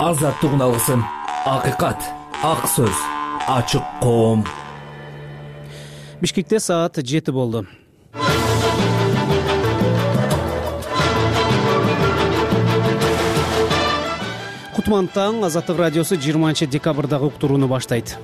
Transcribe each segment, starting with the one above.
Азаттык алгысым, акыйкат, ак сөз, ачык коом. Бишкекте саат 7 болду. Кутман таң, Азаттык радиосу 20 декабрдагы уктурууну баштайт.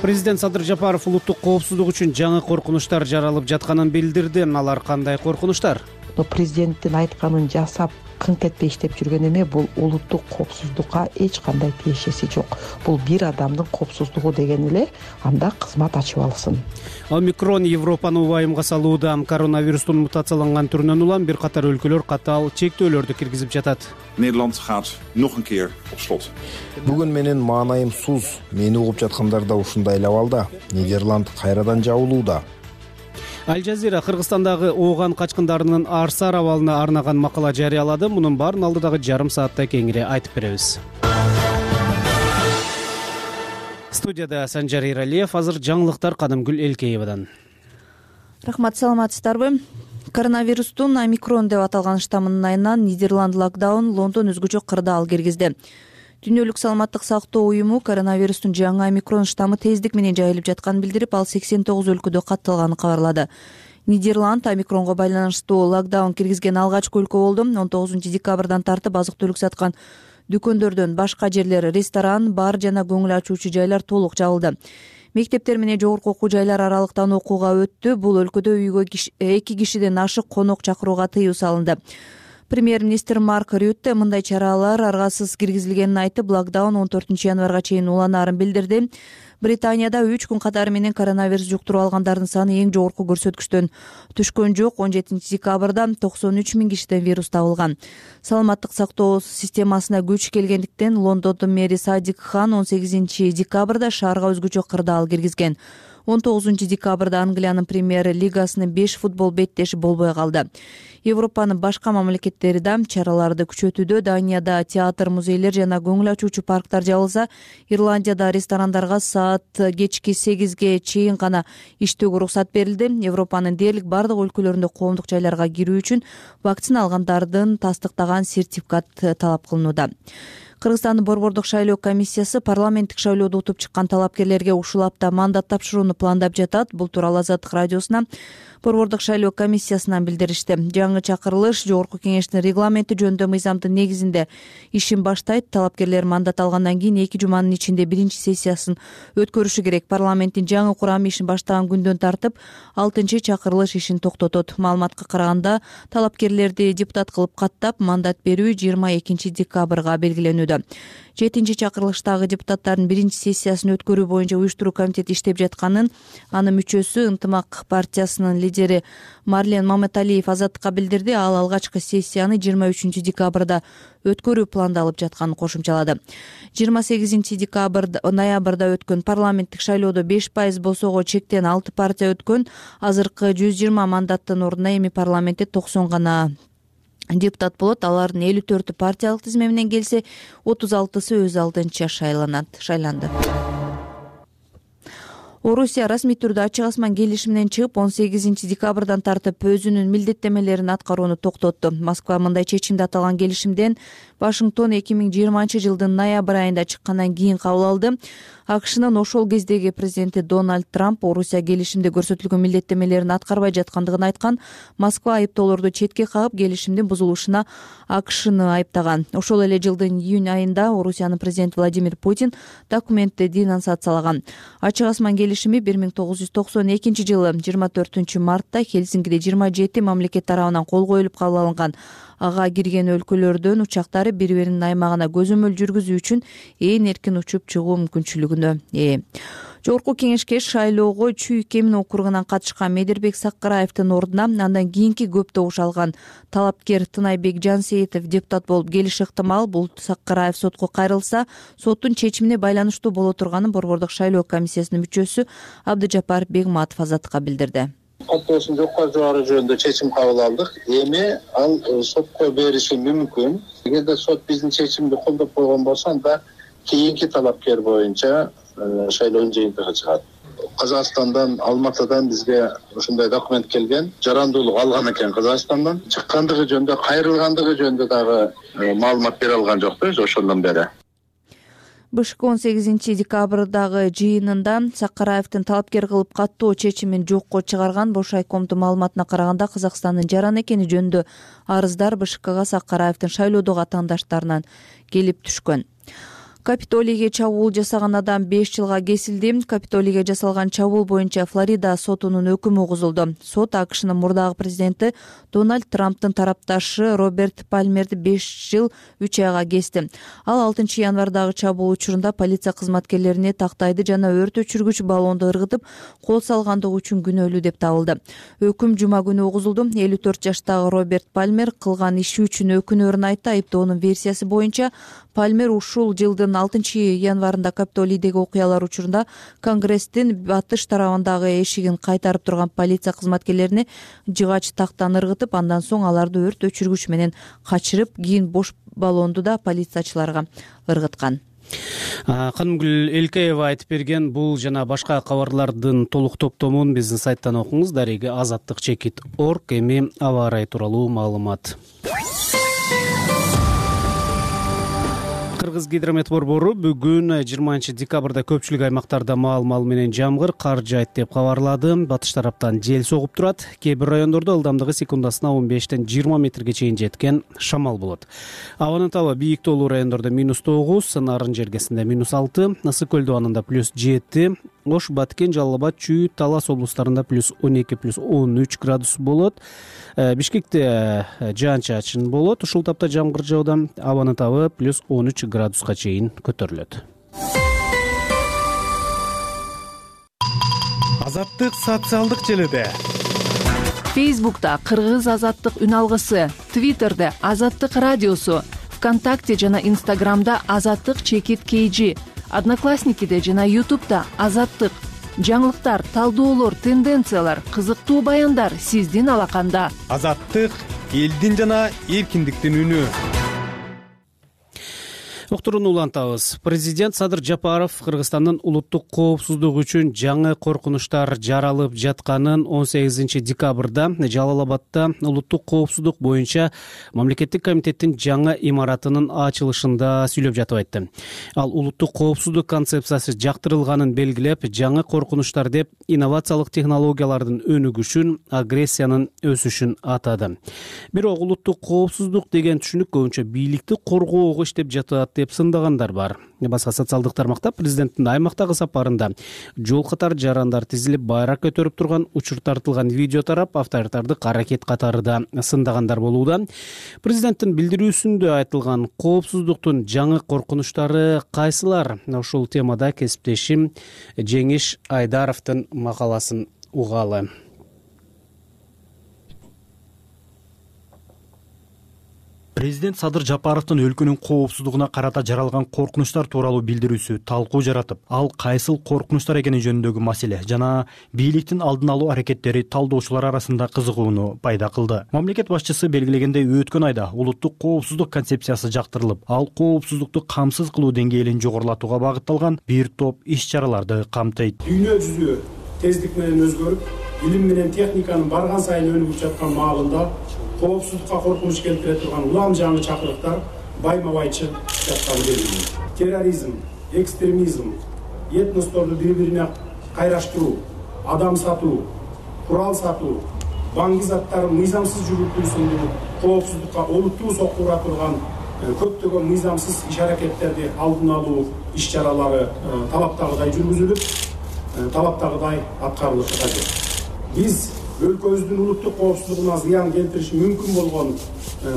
Президент Садыр Жапаров улуттук коопсуздук үчүн жаңы коркунучтар жаралып жатканын билдирди. Алар кандай коркунучтар? Президенттин айтканын жасап, кыңк этпей иштеп жүргөн эме бул улуттук коопсуздукка эч кандай тиешеси жок. Бул бир адамдын коопсуздугу деген эле, анда кызмат ачып алсын. Омикрон Европаны убайымга салууда. Коронавирустун мутацияланган түрүнөн улам бир катар өлкөлөр катаал чектөөлөрдү киргизип жатат. Nederland gaat nog een keer op slot. Бүгүн менин маанайым суз. Мени угуп жаткандар да ушундай эле абалда. Нидерланд кайрадан жабылууда. Аль-Жазира Кыргызстандагы ооган качкындарынын Арсар абалына арнаган макала жарыялады. Мунун баарын алдыдагы жарым саатта кеңири айтып беребиз. Студияда Санжар Иралиев, азыр жаңылыктар Кадымгүл Элкеевадан. Рахмат, саламатсыздарбы? Коронавирустун омикрон деп аталган штаммынын айынан Нидерланд локдаун, Лондон өзгөчө кырдаал киргизди. Дүйнөлүк саламаттык сактоо уюму коронавирустун жаңы омикрон штаммы тездик менен жайылып жатканын билдирип, ал 89 өлкөдө катталганын кабарлады. Нидерланд омикронго байланыштуу локдаун киргизген алгачкы өлкө болду. 19 декабрдан тартып азык-түлүк саткан дүкөндөрдөн башка жерлер, ресторан, бар жана көңүл ачуучу жайлар толук жабылды. Мектептер менен жогорку окуу жайлар аралыктан окууга өттү. Бул өлкөдө үйгө 2 кишиден ашык конок чакырууга тыюу салынды. Премьер-министр Марк Рютте мындай чаралар аргасыз киргизилгенин айтып, локдаун 14 январга чейин уланаарын билдирди. Британияда 3 күн катары менен коронавирус жуктуруп алгандардын саны эң жогорку көрсөткүчтөн түшкөн жок. 17 декабрда 93 000 кишиден вирус табылган. Саламаттык сактоо системасына күч келгендиктен Лондондун мэри Садик Хан 18 декабрда шаарга өзгөчө кырдаал киргизген. 19 декабрда Англиянын премьер лигасынын 5 футбол беттеши болбой калды. Европанын башка мамлекеттери да чараларды күчөтүүдө. Данияда театр, музейлер жана көңүл ачуучу парктар жабылса, Ирландияда ресторандарга саат кечки 8ге чейин гана иштөөгө уруксат берилди. Европанын дээрлик бардык өлкөлөрүндө коомдук жайларга кирүү үчүн вакцина алгандардын тастыктаган сертификат талап кылынууда. Кыргызстандын борбордук шайлоо комиссиясы парламенттик шайлоодо утуп чыккан талапкерлерге ушул апта мандат тапшырууну пландап жатат. Бул тууралуу Азаттык радиосуна борбордук шайлоо комиссиясынан билдиришти. Жаңы чакырылыш жогорку кеңештин регламенти жөнүндө мыйзамдын негизинде ишин баштайт. Талапкерлер мандат алгандан кийин 2 жуманын ичинде биринчи сессиясын өткөрүшү керек. Парламенттин жаңы курамы ишин баштаган күндөн тартып 6-чы чакырылыш ишин токтотот. Маалыматка караганда, талапкерлерди депутат кылып каттап мандат берүү 22 декабрга белгиленүүдө. 7-чи чакырылыштагы депутаттардын биринчи сессиясын өткөрүү боюнча уюштуруу комитети иштеп жатканын анын мүчөсү Ынтымак партиясынын лидери Марлен Маматалиев Азаттыкка билдирди. Ал алгачкы сессияны 23 декабрда өткөрүү пландалып жатканын кошумчалады. 28 ноябрда өткөн парламенттик шайлоодо 5% босоого чектен 6 партия өткөн. Азыркы 120 мандаттын ордуна эми парламентте 90 гана депутат болот. Алардын 54-ü партиялык тизме менен келсе, 36-сы өз алдынча шайланды. Орусия расмий түрдө ачык асман келишиминен чыгып, 18 декабрдан тартып өзүнүн милдеттемелерин аткарууну токтотту. Москва мындай чечимди аталган келишимден Вашингтон 2020 жылдын ноябрь айында чыккандан кийин кабыл алды. АКШнын ошол кездеги президенти Дональд Трамп Орусия келишимде көрсөтүлгөн милдеттемелерин аткарбай жаткандыгын айткан. Москва айыптоолорду четке кагып, келишимдин бузулушуна АКШны айыптаган. Ошол эле жылдын июнь айында Орусиянын президенти Владимир Путин документти денонсациялаган. Ачык асман келишими 1992 жылы 24 мартта Хельсинкиде 27 мамлекет тарабынан кол коюлуп кабыл алынган. Ага кирген өлкөлөрдөн учактары бири-биринин аймагына көзөмөл жүргүзүү үчүн ээн эркин учуп чыгуу мүмкүнчүлүгүнө ээ. Жогорку кеңешке шайлоого Чүй Кемин округунан катышкан Медербек Саккараевдин ордуна андан кийинки көп добуш алган талапкер Тынайбек Жансейитов депутат болуп келиши ыктымал. Бул Саккараев сотко кайрылса, соттун чечимине байланыштуу боло турганын борбордук шайлоо комиссиясынын мүчөсү Абдыжапар Бегматов Азаттыкка билдирди. Каттоосун жокко чыгаруу жөнүндө чечим кабыл алдык. Эми ал сотко бериши мүмкүн. Эгерде сот биздин чечимди колдоп койгон болсо, анда кийинки талапкер боюнча шайлоонун жыйынтыгы чыгат. Казакстандан, Алматыдан бизге ушундай документ келген. Жарандуулук алган экен Казакстандан. Чыккандыгы жөнүндө, кайрылгандыгы жөнүндө дагы маалымат бере алган жокпуз ошондон бери. БШК 18 декабрдагы жыйынында Сакараевдин талапкер кылып каттоо чечимин жокко чыгарган Бош айкомдун маалыматына караганда Казакстандын жаран экени жөнүндө арыздар БШКга Сакараевдин шайлоодогу атаандаштарынан келип түшкөн. Капитолийге чабуул жасаган адам 5 жылга кесилди. Капитолийге жасалган чабуул боюнча Флорида сотунун өкүмү угузулду. Сот АКШнын мурдагы президенти Дональд Трамптын тарапташы Роберт Пальмерди 5 жыл 3 айга кести. Ал 6 январдагы чабуул учурунда полиция кызматкерлерине тактайды жана өрт өчүргүч баллонду ыргытып кол салгандыгы үчүн күнөөлүү деп табылды. Өкүм жума күнү угузулду. 54 жаштагы Роберт Пальмер кылган иши үчүн өкүнөөрүн айтты. Айыптоонун версиясы боюнча Пальмер ушул жылдын 6 январында Капитолийдеги окуялар учурунда Конгресстин батыш тарабындагы эшигин кайтарып турган полиция кызматкерлерине жыгач тактан ыргытып, андан соң аларды өрт өчүргүч менен качырып, кийин бош баллонду да полициячыларга ыргыткан. Канымгүл Элкеева айтып берген бул жана башка кабарлардын толук топтомун биздин сайттан окуңуз. Дареги azattik.org. Эми аба ырайы тууралуу маалымат. Кыргыз гидромет борбору бүгүн 20 декабрда көпчүлүк аймактарда маал менен жамгыр, кар жаайт деп кабарлады. Батыш тараптан жел согуп турат. Кээ бир райондордо ылдамдыгы секундасына 15-тен 20 метрге чейин жеткен шамал болот. Абанын табы бийик тоолуу райондордо -9, Нарын жергесинде -6, Ысык көл дубанында +7, Ош, Баткен, Жалал Абад, Чүй, Талас облустарында +12, +13 градус болот. Бишкекте жаан-чачын болот. Ушул тапта жамгыр жауда. Абанын табы +13 градуска чейин көтөрүлөт. Азаттык социалдык желеде. Фейсбукта Кыргыз азаттык үн алгысы, Твиттерде Азаттык радиосу, ВКонтакте жана Инстаграмда Азаттык _KG, Одноклассникиде жана Ютубта Азаттык. Жаңылыктар, талдоолор, тенденциялар, кызыктуу баяндар сиздин алаканда. Азаттык элдин жана эркиндиктин үнү. Уктуруну улантабыз. Президент Садыр Жапаров Кыргызстандын улуттук коопсуздугу үчүн жаңы коркунучтар жаралып жатканын 18 декабрда Жалал Абадда улуттук коопсуздук боюнча мамлекеттик комитеттин жаңы имаратынын ачылышында сүйлөп жатып айтты. Ал улуттук коопсуздук концепциясы жактырылганын белгилеп, жаңы коркунучтар деп инновациялык технологиялардын өнүгүшүн, агрессиянын өсүшүн атады. Бирок улуттук коопсуздук деген түшүнүк көбүнчө бийликти коргоого иштеп жатат деп сындагандар бар. Башка социалдык тармакта президенттин аймактагы сапарында жол катар жарандар тизилип байрак көтөрүп турган учур тартылган видео тарап, авторитардык аракет катары да сындагандар болууда. Президенттин билдирүүсүндө айтылган коопсуздуктун жаңы коркунучтары кайсылар? Ушул темада кесиптешим Жеңиш Айдаровдун макаласын угалы. Президент Садыр Жапаровдун өлкөнүн коопсуздугуна карата жаралган коркунучтар тууралуу билдирүүсү талкуу жаратып, ал кайсыл коркунучтар экени жөнүндөгү маселе жана бийликтин алдын алуу аракеттери талдоочулар арасында кызыгууну пайда кылды. Мамлекет башчысы белгилегендей, өткөн айда улуттук коопсуздук концепциясы жактырылып, ал коопсуздукту камсыз кылуу деңгээлин жогорулатууга багытталган бир топ иш-чараларды камтыйт. Дүйнө жүзү тездик менен өзгөрүп, билим менен техниканын барган сайын өнүгүп жаткан маалында коопсуздукка коркунуч келтире турган улам жаңы чакырыктар байма-бай чыгып жатканы белгилүү. Терроризм, экстремизм, этносторду бири-бирине кайраштыруу, адам сатуу, курал сатуу, баңги заттарын мыйзамсыз жүгүртүү сындуу коопсуздукка олуттуу соккура турган көптөгөн мыйзамсыз иш-аракеттерди алдын алуу иш-чаралары талаптагыдай жүргүзүлүп, талаптагыдай аткарылышы кажет. Биз өлкөбүздүн улуттук коопсуздугуна зыян келтириши мүмкүн болгон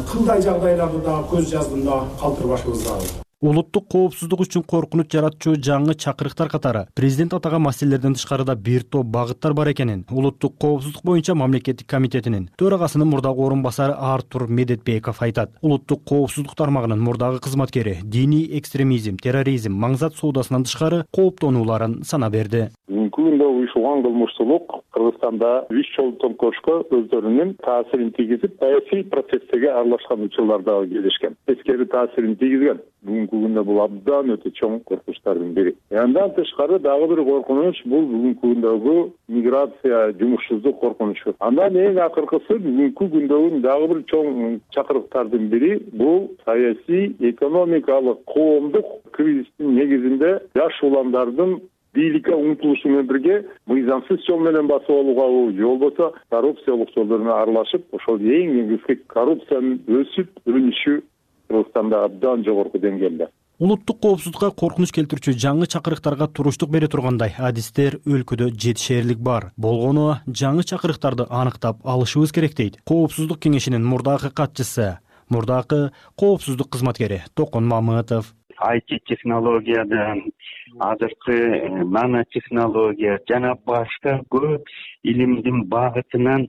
кылдай жагдайларды дагы көз жаздында калтырбашыбыз зарыл. Улуттук коопсуздук үчүн коркунуч жаратчу жаңы чакырыктар катары президент атаган маселелерден тышкарыда бир топ багыттар бар экенин улуттук коопсуздук боюнча мамлекеттик комитетинин төрагасынын мурдагы орун басары Артур Медетбеков айтат. Улуттук коопсуздук тармагынын мурдагы кызматкери диний экстремизм, терроризм, маңзат соодасынан тышкары кооптонууларын санаа берди. бүгүнкү күндө уюшулган кылмыштуулук Кыргызстанда үч жол төңкөрүшкө өздөрүнүн таасирин тийгизип, саясий процесстеги аралашкан учурлар дагы кездешкен. Тескери таасирин тийгизген. Бүгүнкү күндө бул абдан өтө чоң коркунучтардын бири. Андан тышкары дагы бир коркунуч бул бүгүнкү күндөгү миграция, жумушсуздук коркунучу. Андан эң акыркысы бүгүнкү күндөгү дагы бир чоң чакырыктардын бири бул саясий, экономикалык, коомдук кризистин негизинде жаш уландардын бийликке умтулушу менен бирге мыйзамсыз жол менен басып алууга же болбосо коррупциялык жолдоруна аралашып, ошол эң негизги коррупциянын өнүшү Кыргызстанда абдан жогорку деңгээлде. Улуттук коопсуздукка коркунуч келтирүүчү жаңы чакырыктарга туруштук бере тургандай адистер өлкөдө жетишээрлик бар. Болгону жаңы чакырыктарды аныктап алышыбыз керек дейт Коопсуздук кеңешинин мурдакы катчысы, мурдакы коопсуздук кызматкери Токон Мамытов. IT технологиядан, азыркы нанотехнология жана башка көп илимдин багытынан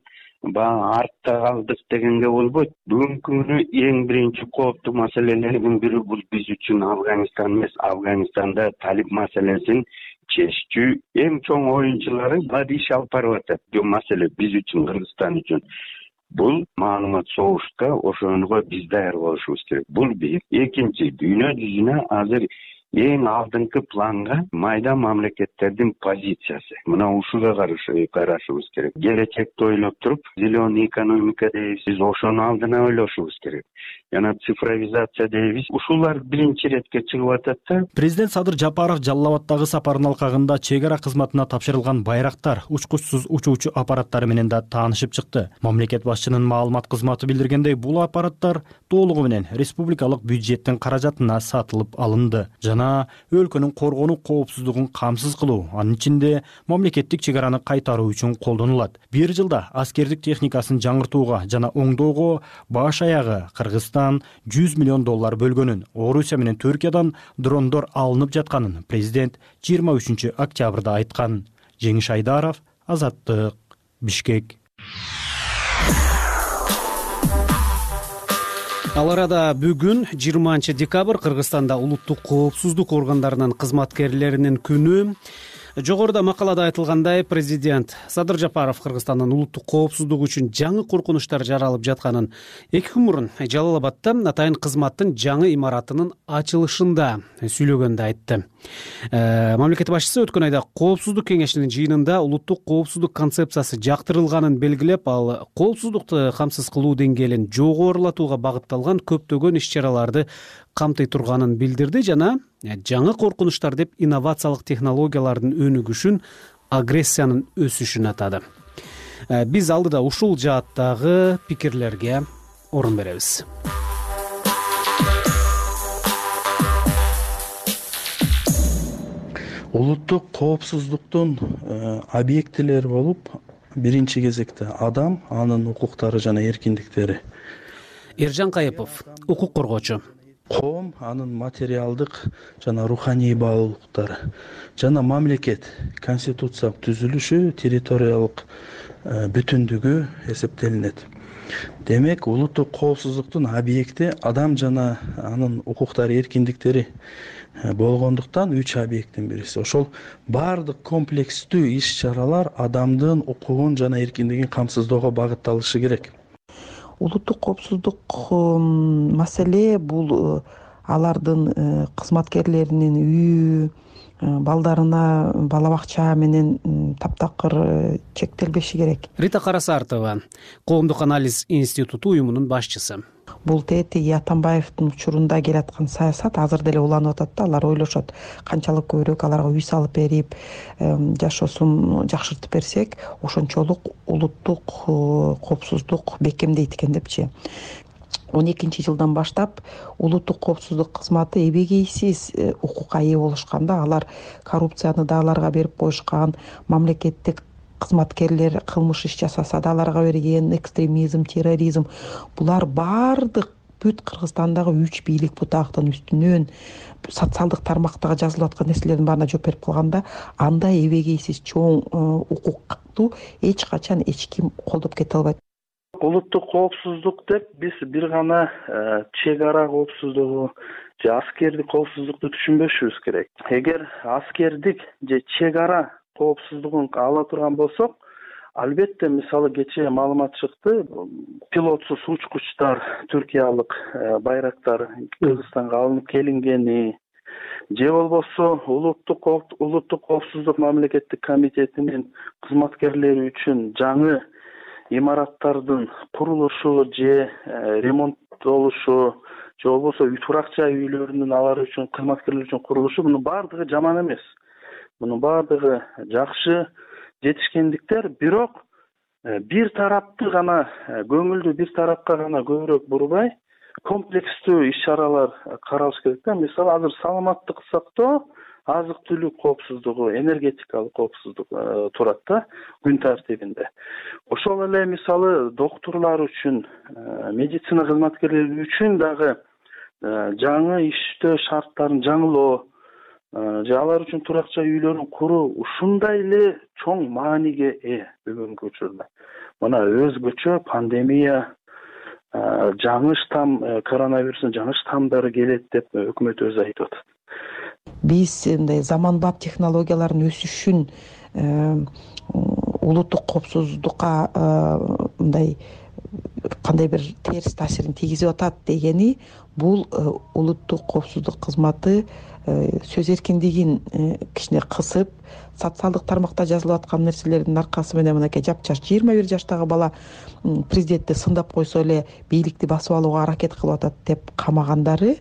артта калдык дегенге болбойт. Бүгүнкү күнү эң биринчи кооптуу маселелердин бири бул биз үчүн Афганистан эмес, Афганистанда талип маселесин чечүү эң чоң оюнчулары иш алып барып атат. Бул маселе биз үчүн, Кыргызстан үчүн. Бул маалымат согушка ошонго биз даяр болушубуз керек. Бул бир. Экинчи, дүйнө жүзүнө азыр эң алдыңкы планга майда мамлекеттердин позициясы. Мына ушуга карашыбыз керек. Келечекти ойлоп туруп, зеленый экономика дейбиз, биз ошонун алдына ойлошубуз керек. Жана цифровизация дейбиз. Ушулар биринчи иретке чыгып атат да. Президент Садыр Жапаров Жалал Абаддагы сапарынын алкагында чек ара кызматына тапшырылган байрактар, учкучсуз учуучу аппараттары менен да таанышып чыкты. Мамлекет башчынын маалымат кызматы билдиргендей, бул аппараттар толугу менен республикалык бюджеттин каражатына сатылып алынды жана өлкөнүн коргонуу коопсуздугун камсыз кылуу, анын ичинде мамлекеттик чек араны кайтаруу үчүн колдонулат. Бир жылда аскердик техникасын жаңыртууга жана оңдоого баш аягы Кыргызстан $100 миллион бөлгөнүн, Орусия менен Түркиядан дрондор алынып жатканын президент 23 октябрда айткан. Жеңиш Айдаров, Азаттык, Бишкек. Ал арада бүгүн 20 декабрь Кыргызстанда улуттук коопсуздук органдарынын кызматкерлеринин күнү. Жогоруда макалада айтылгандай, президент Садыр Жапаров Кыргызстандын улуттук коопсуздугу үчүн жаңы коркунучтар жаралып жатканын 2 күн мурун Жалал Абадда атайын кызматтын жаңы имаратынын ачылышында сүйлөгөндө айтты. Мамлекет башчысы өткөн айда Коопсуздук кеңешинин жыйынында улуттук коопсуздук концепциясы жактырылганын белгилеп, ал коопсуздукту камсыз кылуу деңгээлин жогорулатууга багытталган көптөгөн иш-чараларды камтый турганын билдирди жана жаңы коркунучтар деп инновациялык технологиялардын өнүгүшүн, агрессиянын өсүшүн атады. Биз алдыда ушул жааттагы пикирлерге орун беребиз. Улуттук коопсуздуктун объектилери болуп, биринчи кезекте адам, анын укуктары жана эркиндиктери. Эржан Кайыпов, укук коргоочу. Коом, анын материалдык жана руханий баалуулуктары жана мамлекет конституциялык түзүлүшү, территориялык бүтүндүгү эсептелинет. Демек, улуттук коопсуздуктун объекти адам жана анын укуктары, эркиндиктери болгондуктан 3 объекттин бириси. Ошол баардык комплекстүү иш-чаралар адамдын укугун жана эркиндигин камсыздоого багытталышы керек. Улуттук коопсуздук маселе бул алардын кызматкерлеринин үйү, балдарына бала бакча менен таптакыр чектелбеши керек. Рита Карасартова, Коомдук анализ институту уюмунун башчысы. Бул Тети Атамбаевдин учурунда келаткан саясат азыр деле уланып атат да. Алар ойлошот, канчалык көбүрөөк аларга үй салып берип, жашоосун жакшыртып берсек, ошончолук улуттук коопсуздук бекемдейт экен депчи. 12 жылдан баштап улуттук коопсуздук кызматы эбегейсиз укукка ээ болушканда, алар коррупцияны да аларга берип коюшкан, мамлекеттик кызматкерлер кылмыш иш жасаса да аларга берген, экстремизм, терроризм, булар баардык бүт Кыргызстандагы 3 бийлик бутактын үстүнөн социалдык тармактагы жазылып аткан нерселердин баарына жооп берип калганда, андай эбегейсиз чоң укукту эч качан эч ким колдоп кете албайт. Улуттук коопсуздук деп биз бир гана чек ара коопсуздугу же аскердик коопсуздукту түшүнбөшүбүз керек. Эгер аскердик же чек ара коопсуздугун ала турган болсок, албетте мисалы кечээ маалымат чыкты, пилотсуз учкучтар, түркиялык байрактар Кыргызстанга алынып келингени же болбосо улуттук коопсуздук мамлекеттик комитетинин кызматкерлери үчүн жаңы имараттардын курулушу же ремонттолушу же болбосо турак-жай үйлөрүнүн алар үчүн кызматкерлер үчүн курулушу, мунун баардыгы жаман эмес. Мунун баардыгы жакшы жетишкендиктер, бирок бир тарапты гана, көңүлдү бир тарапка гана көбүрөөк бурбай, комплекстүү иш-чаралар каралыш керек да. Мисалы азыр саламаттык сактоо, азык-түлүк коопсуздугу, энергетикалык коопсуздук турат да күн тартибинде. Ошол эле мисалы доктурлар үчүн, медицина кызматкерлери үчүн дагы жаңы иштөө шарттарын жаңылоо же алар үчүн турак-жай үйлөрүн куруу ушундай эле чоң мааниге ээ бүгүнкү учурда. Мына өзгөчө пандемия, жаңы штамм, коронавирустун жаңы штаммдары келет деп өкмөт өзү айтып атат. Биз мындай заманбап технологиялардын өсүшүн улуттук коопсуздукка мындай кандай бир терс таасирин тийгизип атат дегени, бул улуттук коопсуздук кызматы сөз эркиндигин кичине кысып, социалдык тармакта жазылып аткан нерселердин аркасы менен мынакей жапжаш 21 жаштагы бала президентти сындап койсо эле бийликти басып алууга аракет кылып атат деп камагандары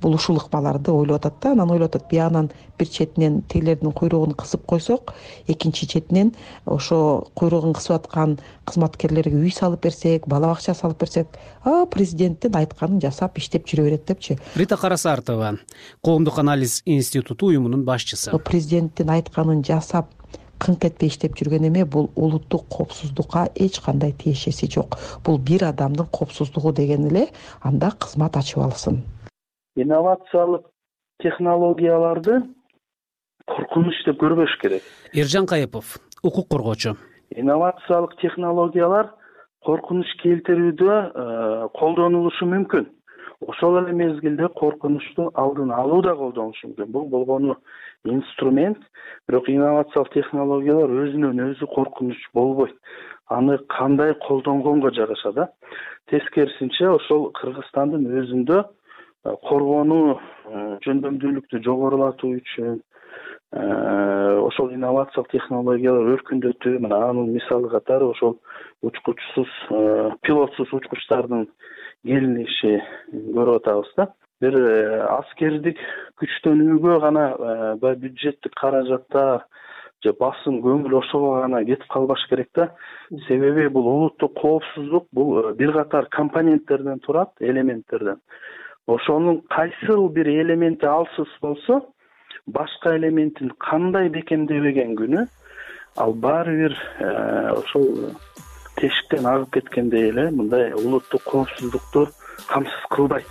бул ушул ыкмаларды ойлоп атат да. Анан ойлоп атат, биягынан бир четинен тигилердин куйругун кысып койсок, экинчи четинен ошо куйругун кысып аткан кызматкерлерге үй салып берсек, бала бакча салып берсек, президенттин айтканын жасап иштеп жүрө берет депчи. Рита Карасартова, Коомдук анализ институту уюмунун башчысы. Президенттин айтканын жасап кыңк этпей иштеп жүргөн эме, бул улуттук коопсуздукка эч кандай тиешеси жок. Бул бир адамдын коопсуздугу деген эле, анда кызмат ачып алсын. Инновациялык технологияларды коркунуч деп көрбөш керек. Эржан Кайыпов, укук коргоочу. Инновациялык технологиялар коркунуч келтирүүдө колдонулушу мүмкүн. Ошол эле мезгилде коркунучту алдын алуу да колдонулушу мүмкүн. Бул болгону инструмент, бирок инновациялык технологиялар өзүнөн өзү коркунуч болбойт. Аны кандай колдонгонго жараша да. Тескерисинче, ошол Кыргызстандын өзүндө коргонуу жөндөмдүүлүктү жогорулатуу үчүн ошол инновациялык технологиялар өркүндөтүү, мына анын мисалы катары ошол учкучсуз, пилотсуз учкучтардын келиниши көрүп атабыз да. Бир аскердик күчтөнүүгө гана бюджеттик каражаттар же басым көңүл ошого гана кетип калбаш керек да. Себеби бул улуттук коопсуздук бул бир катар компоненттерден турат, элементтерден. Ошонун кайсыл бир элементи алсыз болсо, башка элементин кандай бекемдебеген күнү, ал баары бир ошол тешиктен агып кеткендей эле мындай улуттук коопсуздукту камсыз кылбайт.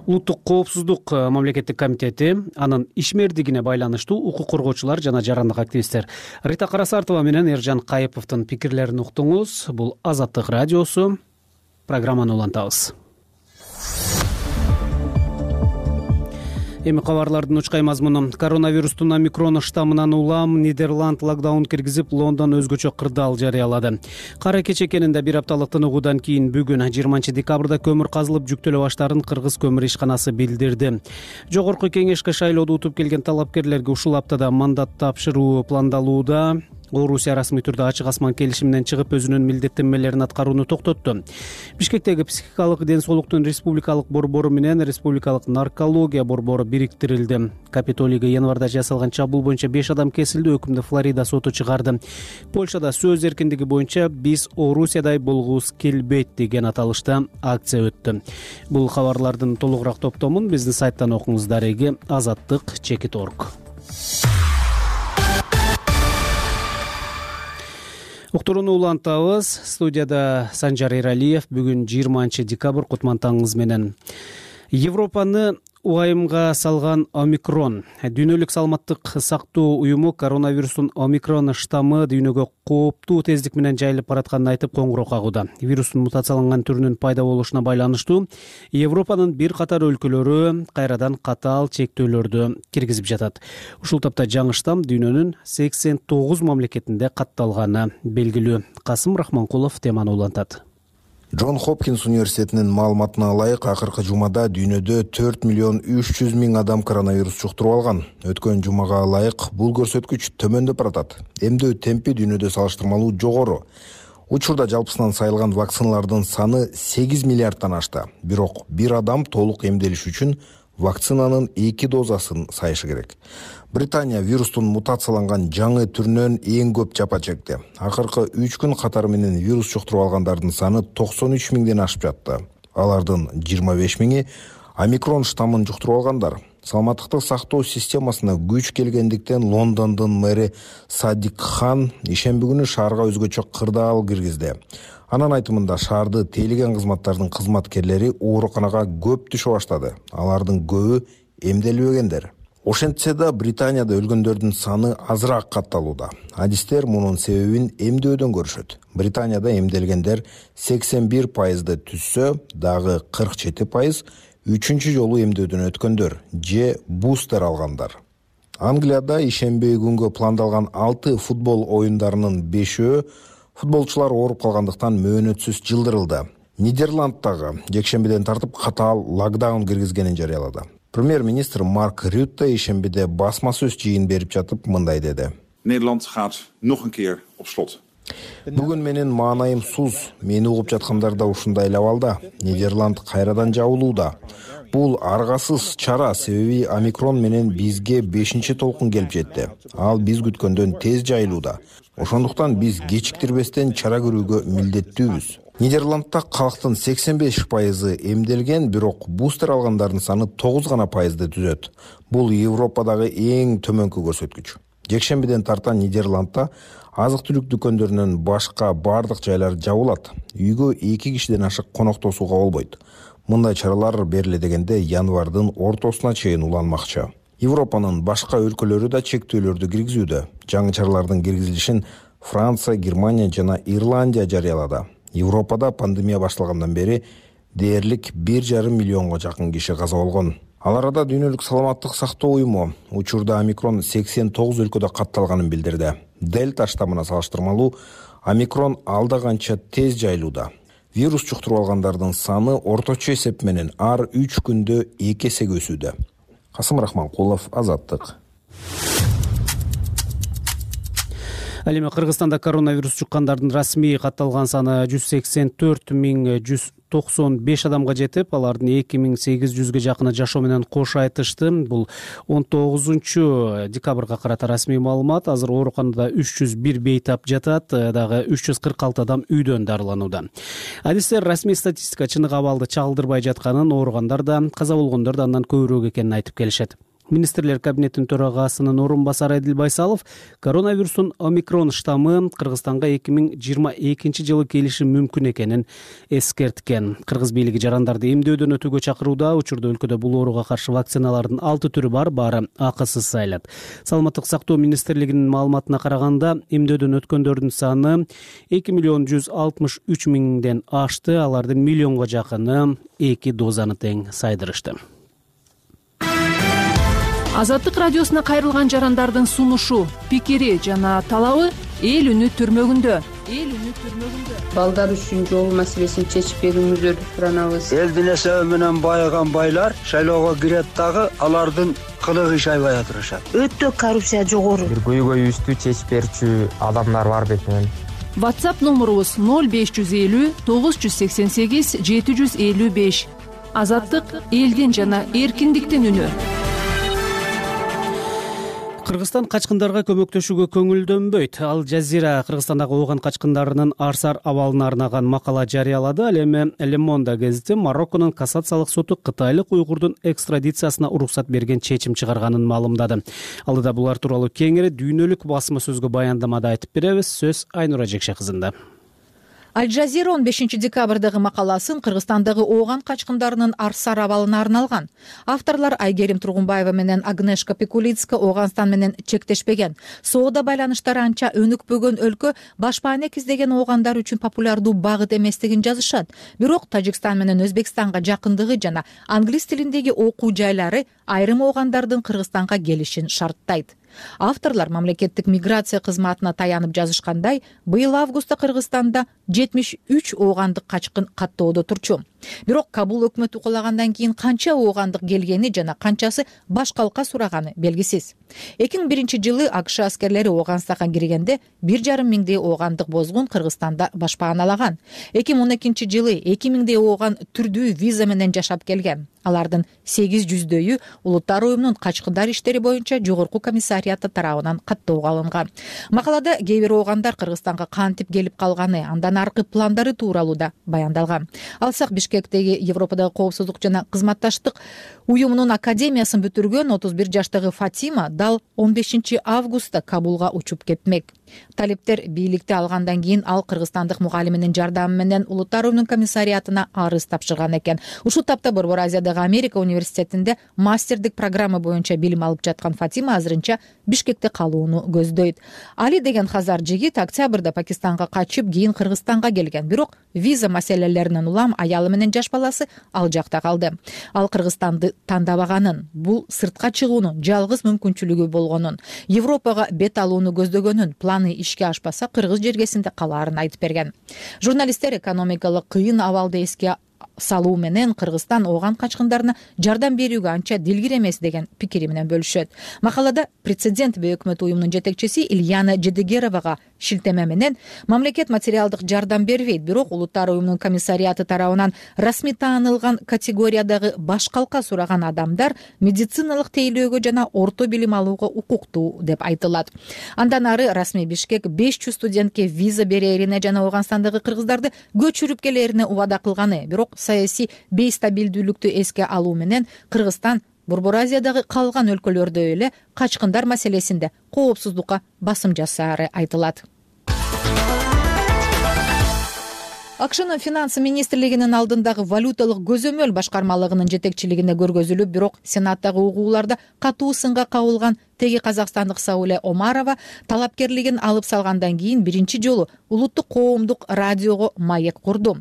Улуттук коопсуздук мамлекеттик комитети анын ишмердигине байланыштуу укук коргоочулар жана жарандык активисттер Рита Карасартова менен Эржан Кайыповдун пикирлерин уктуңуз. Бул Азаттык радиосу. Программаны улантабыз. Эми кабарлардын учкай мазмуну. Коронавирустун омикрон штаммынан улам Нидерланд локдаун киргизип, Лондон өзгөчө кырдаал жарыялады. Кара кече экенинде бир апталык тыныгуудан кийин бүгүн 20 декабрда көмүр казылып жүктөлө баштарын Кыргыз көмүр ишканасы билдирди. Жогорку кеңешке шайлоодо утуп келген талапкерлерге ушул аптада мандат тапшыруу пландалууда. Орусия расмий түрдө ачык асман келишиминен чыгып өзүнүн милдеттенмелерин аткарууну токтотту. Бишкектеги психикалык ден соолуктун республикалык борбору менен республикалык наркология борбору бириктирилди. Капитолийге январда жасалган чабуул боюнча 5 адам кесилди, өкүмдү Флорида соту чыгарды. Польшада сөз эркиндиги боюнча биз Орусиядай болгубуз келбейт деген аталышта акция өттү. Бул кабарлардын толугураак топтомун биздин сайттан окуңуз. Дареги azattik.org. Уктурууну улантабыз. Студияда Санжар Эралиев. Бүгүн 20 декабрь, кутман таңыңыз менен. Европаны убайымга салган омикрон. Дүйнөлүк саламаттык сактоо уюму коронавирустун омикрон штаммы дүйнөгө кооптуу тездик менен жайылып баратканын айтып коңгуроо кагууда. Вирустун мутацияланган түрүнүн пайда болушуна байланыштуу Европанын бир катар өлкөлөрү кайрадан катаал чектөөлөрдү киргизип жатат. Ушул тапта жаңы штамм дүйнөнүн 89 мамлекетинде катталганы белгилүү. Касым Рахманкулов теманы улантат. Джон Хопкинс университетинин маалыматына ылайык, акыркы жумада дүйнөдө 4 миллион 300 миң адам коронавирус жуктуруп алган. Өткөн жумага ылайык бул көрсөткүч төмөндөп баратат. Эмдөө темпи дүйнөдө салыштырмалуу жогору. Учурда жалпысынан сайылган вакциналардын саны 8 миллиардтан ашты. Бирок бир адам толук эмделиш үчүн вакцинанын 2 дозасын сайышы керек. Британия вирустун мутацияланган жаңы түрүнөн эң көп жапа чекти. Акыркы 3 күн катары менен вирус жуктуруп алгандардын саны 93 миңден ашып жатты. Алардын 25 миңи омикрон штаммын жуктуруп алгандар. Саламаттыкты сактоо системасына күч келгендиктен Лондондун мэри Садик Хан ишемби күнү шаарга өзгөчө кырдаал киргизди. Анын айтымында шаарды тейлеген кызматтардын кызматкерлери ооруканага көп түшө баштады. Алардын көбү эмделбегендер. Ошентсе да Британияда өлгөндөрдүн саны азыраак катталууда. Адистер мунун себебин эмдөөдөн көрүшөт. Британияда эмделгендер 81% түзсө, дагы 47% үчүнчү жолу эмдөөдөн өткөндөр же бустер алгандар. Англияда ишемби күнгө пландалган 6 футбол оюндарынын 5-өө футболчулар ооруп калгандыктан мөөнөтсүз жылдырылды. Нидерланддагы жекшембиден тартып катаал локдаун киргизгенин жарыялады. Премьер-министр Марк Рютте ишембиде басма сөз жыйын берип жатып мындай деди. Nederland gaat nog een keer op slot. Бүгүн менин маанайым суз. Мени угуп жаткандар да ушундай абалда. Нидерланд кайрадан жабылууда. Бул аргасыз чара, себеби омикрон менен бизге 5-чи толкун келип жетти. Ал биз күткөндөн тез жайылууда. Ошондуктан биз кечиктирбестен чара көрүүгө милдеттүүбүз. Нидерландда калктын 85% эмделген, бирок бустер алгандардын саны 9 гана пайызды түзөт. Бул Европадагы эң төмөнкү көрсөткүч. Жекшембиден тарта Нидерландда азык-түлүк дүкөндөрүнөн башка бардык жайлар жабылат. Үйгө 2 кишиден ашык коноктошууга болбойт. Мындай чаралар бериле дегенде январдын ортосуна чейин уланмакчы. Европанын башка өлкөлөрү да чектөөлөрдү киргизүүдө. Жаңы чаралардын киргизилишин Франция, Германия жана Ирландия жарыялады. Европада пандемия башталгандан бери дээрлик 1,5 миллионго жакын киши каза болгон. Ал арада дүйнөлүк саламаттык сактоо уюму учурда омикрон 89 өлкөдө катталганын билдирди. Дельта штаммына салыштырмалуу омикрон алда канча тез жайылууда. Вирус жуктуруп алгандардын саны орточо эсеп менен ар 3 күндө 2 эсеге өсүүдө. Касым Рахманкулов, Азаттык. Ал эми Кыргызстанда коронавирус жуккандардын расмий катталган саны 184,195 адамга жетип, алардын 2800ге жакыны жашоо менен кош айтышты. Бул 19 декабрга карата расмий маалымат. Азыр ооруканада 301 бейтап жатат, дагы 346 адам үйдөн дарыланууда. Адистер расмий статистика чыныгы абалды чагылдырбай жатканын, ооругандар да, каза болгондор да андан көбүрөөк экенин айтып келишет. Министрлер кабинетинин төрагасынын орун басары Эдил Байсалов коронавирустун омикрон штаммы Кыргызстанга 2022 жылы келиши мүмкүн экенин эскерткен. Кыргыз бийлиги жарандарды эмдөөдөн өтүүгө чакырууда. Учурда өлкөдө бул ооруга каршы вакциналардын 6 түрү бар, баары акысыз сайылат. Саламаттык сактоо министрлигинин маалыматына караганда, эмдөөдөн өткөндөрдүн саны 2,163 миңден ашты. Алардын миллионго жакыны 2 дозаны тең сайдырышты. Азаттык радиосуна кайрылган жарандардын сунушу, пикири жана талабы эл үнү түрмөгүндө. Балдар үчүн жол маселесин чечип берүүңүздөрдү суранабыз. Элдин эсеби менен байыган байлар шайлоого кирет дагы алардын кылыгы иш айбай атырышат. Өтө коррупция жогору. Бир көйгөйүбүздү чечип берчү адамдар бар бетинен. WhatsApp номурубуз 0550 988 755. Азаттык элдин жана эркиндиктин үнү. Кыргызстан качкындарга көмөктөшүүгө көңүлдөнбөйт. Ал Жазира Кыргызстандагы ооган качкындарынын арсар абалына арнаган макала жарыялады. Ал эми Le Monde гезити Марокконун кассациялык соту кытайлык уйгурдун экстрадициясына уруксат берген чечим чыгарганын маалымдады. Алдыда булар тууралуу кеңири дүйнөлүк басма сөзгө баяндамада айтып беребиз. Сөз Айнура Жекше кызында. Аль Жазира 15 декабрдагы макаласын Кыргызстандагы ооган качкындарынын арсар абалына арналган. Авторлор Айгерим Тургунбаева менен Агнешка Пекулицка Ооганстан менен чектешпеген, соода байланыштары анча өнүкпөгөн өлкө башпаанек издеген оогандар үчүн популярдуу багыт эместигин жазышат. Бирок Тажикстан менен Өзбекстанга жакындыгы жана англис тилиндеги окуу жайлары айрым оогандардын Кыргызстанга келишин шарттайт. Авторлор мамлекеттик миграция кызматына таянып жазышкандай, быйыл августта Кыргызстанда 73 оогандык качкын каттоодо турчу. Бирок Кабул өкмөтү кулагандан кийин канча оогандык келгени жана канчасы баш калка сураганы белгисиз. 2001-жылы АКШ аскерлери Ооганстанга киргенде 1,5 миңдей оогандык бозгун Кыргызстанда башпааналаган. 2012-жылы 2000дей ооган түрдүү виза менен жашап келген. Алардын 800дөйү Улуттар уюмунун качкындар иштери боюнча жогорку комиссарияты тарабынан каттоого алынган. Макалада кээ бир оогандар Кыргызстанга кантип келип калганы, андан аркы пландары тууралуу да баяндалган. Алсак Бишкектеги Европадагы коопсуздук жана кызматташтык уюмунун академиясын бүтүргөн 31 жаштагы Фатима дал 15 августта Кабулга учуп кетмек. Талиптер бийликти алгандан кийин ал кыргызстандык мугалиминин жардамы менен Улуттар уюмунун комиссариятына арыз тапшырган экен. Ушул тапта Борбор Азиядагы Америка университетинде мастердик программа боюнча билим алып жаткан Фатима азырынча Бишкекте калууну көздөйт. Али деген хазар жигит октябрда Пакистанга качып, кийин Кыргызстанга келген. Бирок виза маселелеринен улам аялы менен жаш баласы ал жакта калды. Ал Кыргызстанды тандабаганын, бул сыртка чыгуунун жалгыз мүмкүнчүлүгү болгонун, Европага бет алууну көздөгөнүн, планы ишке ашпаса кыргыз жергесинде калаарын айтып берген. Журналисттер экономикалык кыйын абалды эске салуу менен Кыргызстан ооган качкындарына жардам берүүгө анча дилгир эмес деген пикири менен бөлүшөт. Макалада прецедент өкмөт уюмунун жетекчиси Ильяна Жедегеровага шилтеме менен мамлекет материалдык жардам бербейт, бирок Улуттар уюмунун комиссарияты тарабынан расмий таанылган категориядагы баш калка сураган адамдар медициналык тейлөөгө жана орто билим алууга укуктуу деп айтылат. Андан ары расмий Бишкек 500 студентке виза берерине жана Ооганстандагы кыргыздарды көчүрүп келерине убада кылганы, бирок саясий бейстабилдүүлүктү эске алуу менен Кыргызстан Борбор Азиядагы калган өлкөлөрдө эле качкындар маселесинде коопсуздукка басым жасаары айтылат. АКШнын финансы министрлигинин алдындагы валюталык көзөмөл башкармалыгынын жетекчилигинде көргөзүлүп, бирок Сенаттагы угууларда катуу сынга кабылган теги казакстандык Сауле Омарова талапкерлигин алып салгандан кийин биринчи жолу улуттук коомдук радиого маек курду.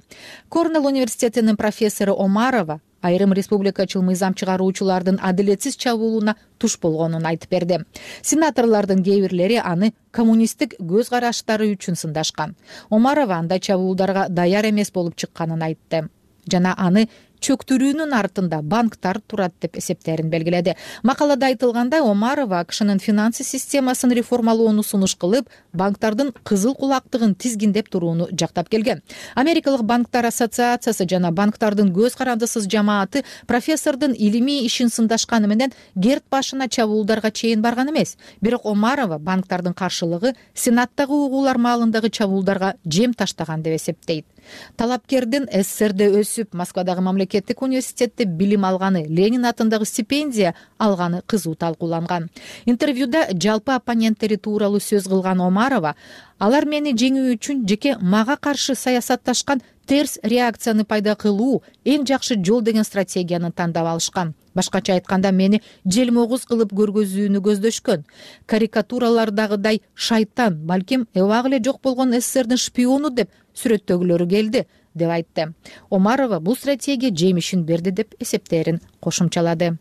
Корнелл университетинин профессору Омарова айрым республикачыл мыйзам чыгаруучулардын адилетсиз чабуулуна туш болгонун айтып берди. Сенаторлордун кээ бирлери аны коммунисттик көз караштары үчүн сындашкан. Омарова андай чабуулдарга даяр эмес болуп чыкканын айтты жана аны чөктүрүүнүн артында банктар турат деп эсептерин белгиледи. Макалада айтылгандай, Омарова АКШнын финансы системасын реформалоону сунуш кылып, банктардын кызыл кулактыгын тизгиндеп турууну жактап келген. Америкалык банктар ассоциациясы жана банктардын көз карандысыз жамааты профессордун илимий ишин сындашканы менен герт башына чабуулдарга чейин барган эмес. Бирок Омарова банктардын каршылыгы Сенаттагы угуулар маалындагы чабуулдарга жем таштаган деп эсептейт. Талапкердин СССРде өсүп, Москвадагы мамлекеттик университетте билим алганы, Ленин атындагы стипендия алганы кызуу талкууланган. Интервьюда жалпы оппоненттери тууралуу сөз кылган Омарова, алар мени жеңүү үчүн жеке мага каршы саясатташкан, терс реакцияны пайда кылуу эң жакшы жол деген стратегияны тандап алышкан. Башкача айтканда, мени желмогуз кылып көргөзүүнү көздөшкөн. Карикатуралардагыдай шайтан, балким эбак эле жок болгон СССРдин шпиону деп сүрөттөгүлөрү келди деп айтты. Омарова бул стратегия жемишин берди деп эсептерин кошумчалады.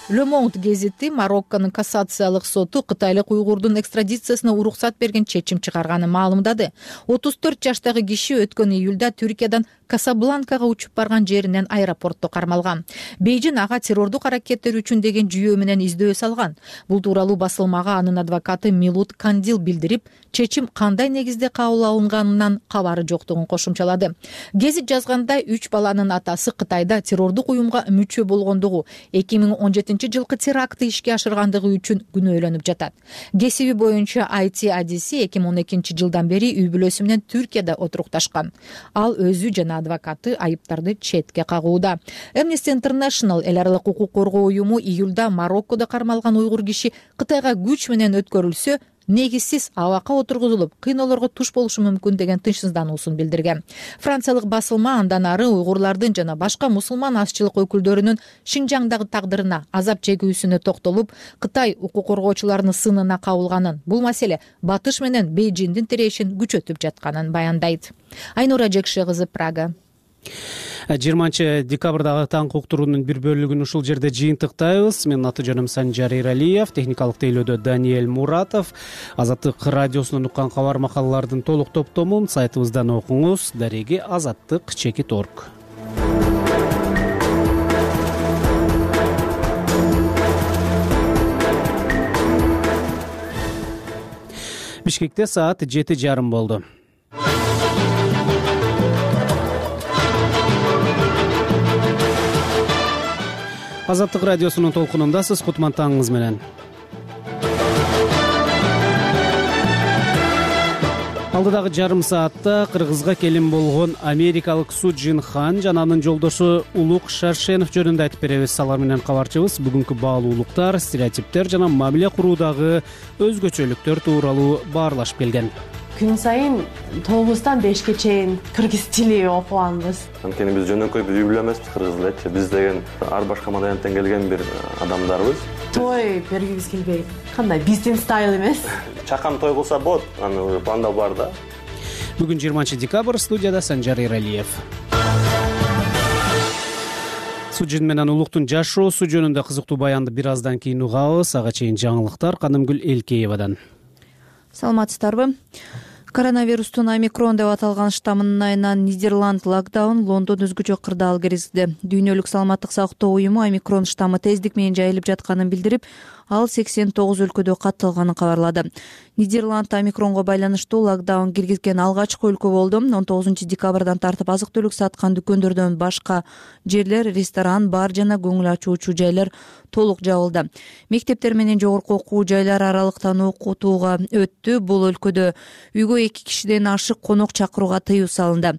Le Monde гезити Марокконун кассациялык соту кытайлык уйгурдун экстрадициясына уруксат берген чечим чыгарганын маалымдады. 34 жаштагы киши өткөн июлда Түркиядан Касабланкага учуп барган жеринен аэропортто кармалган. Бейжин ага террордук аракеттер үчүн деген жүйөө менен издөө салган. Бул тууралуу басылмага анын адвокаты Милут Кандил билдирип, чечим кандай негизде кабыл алынганынан кабары жоктугун кошумчалады. Гезит жазгандай, 3 баланын атасы Кытайда террордук уюмга мүчө болгондугу, 2017-жылкы терактты ишке ашыргандыгы үчүн күнөөлөнүп жатат. Кесиби боюнча IT адиси 2012-жылдан бери үй бүлөсү менен Түркияда отурукташкан. Ал өзү жана адвокаты айыптарды четке кагууда. Amnesty International эл аралык укук коргоо уюму июлда Мароккодо кармалган уйгур киши Кытайга күч менен өткөрүлсө, негизсиз абакка отургузулуп кыйноолорго туш болушу мүмкүн деген тынчсыздануусун билдирген. Франциялык басылма андан ары уйгурлардын жана башка мусулман азчылык өкүлдөрүнүн Шинжаңдагы тагдырына, азап чегүүсүнө токтолуп, Кытай укук коргоочуларынын сынына кабылганын, бул маселе Батыш менен Бейжиңдин тирешин күчөтүп жатканын баяндайт. Айнура Жекше кызы, Прага. 20 декабрдагы таңкы уктуруунун бир бөлүгүн ушул жерде жыйынтыктайбыз. Менин аты жөнүм Санжар Иралиев, техникалык тейлөөдө Даниэль Муратов. Азаттык радиосунан уккан кабар макалалардын толук топтомун сайтыбыздан окуңуз. Дареги azаттык.org. Бишкекте саат 7:30 болду. Азаттык радиосунун толкунундасыз. Кутман-таңыңыз менен. Алдыдагы жарым саатта Кыргызга келин болгон америкалык Су Джин Хан жана анын жолдошу Улук Шаршенов жөнүндө айтып беребиз. Алар менен кабарчыбыз бүгүнкү баалуулуктар, стереотиптер жана мамиле куруудагы өзгөчөлүктөр тууралуу баарлашып келген. Күн сайын 9-тан 5-ке чейин кыргыз тили окуганбыз. Анткени биз жөнөкөй үй бүлө эмеспиз, кыргыз элчи. Биз деген ар башка маданияттан келген бир адамдарбыз. Той бергибиз келбейт. Кандай биздин стайл эмес. Чакан той кылса болот, аны планда бар да. Бүгүн 20 декабрь, студияда Санжар Иралиев. Су Джин менен Улуктун жашоосу жөнүндө кызыктуу баянды бир аздан кийин угабыз. Ага чейин жаңылыктар Канымгүл Элкеевадан. Саламатсыздарбы? Коронавирустун омикрон деп аталган штаммынын айынан Нидерланд локдаун, Лондон өзгөчө кырдаал киргизди. Дүйнөлүк саламаттык сактоо уюму омикрон штаммы тездик менен жайылып жатканын билдирип, ал 89 өлкөдө катталганын кабарлады. Нидерланд омикронго байланыштуу локдаун киргизген алгачкы өлкө болду. 19 декабрдан тартып азык-түлүк саткан дүкөндөрдөн башка жерлер, ресторан, бар жана көңүл ачуучу жайлар толук жабылды. Мектептер менен жогорку окуу жайлары аралыктан окутууга өттү. Бул өлкөдө үйгө 2 кишиден ашык конок чакырууга тыюу салынды.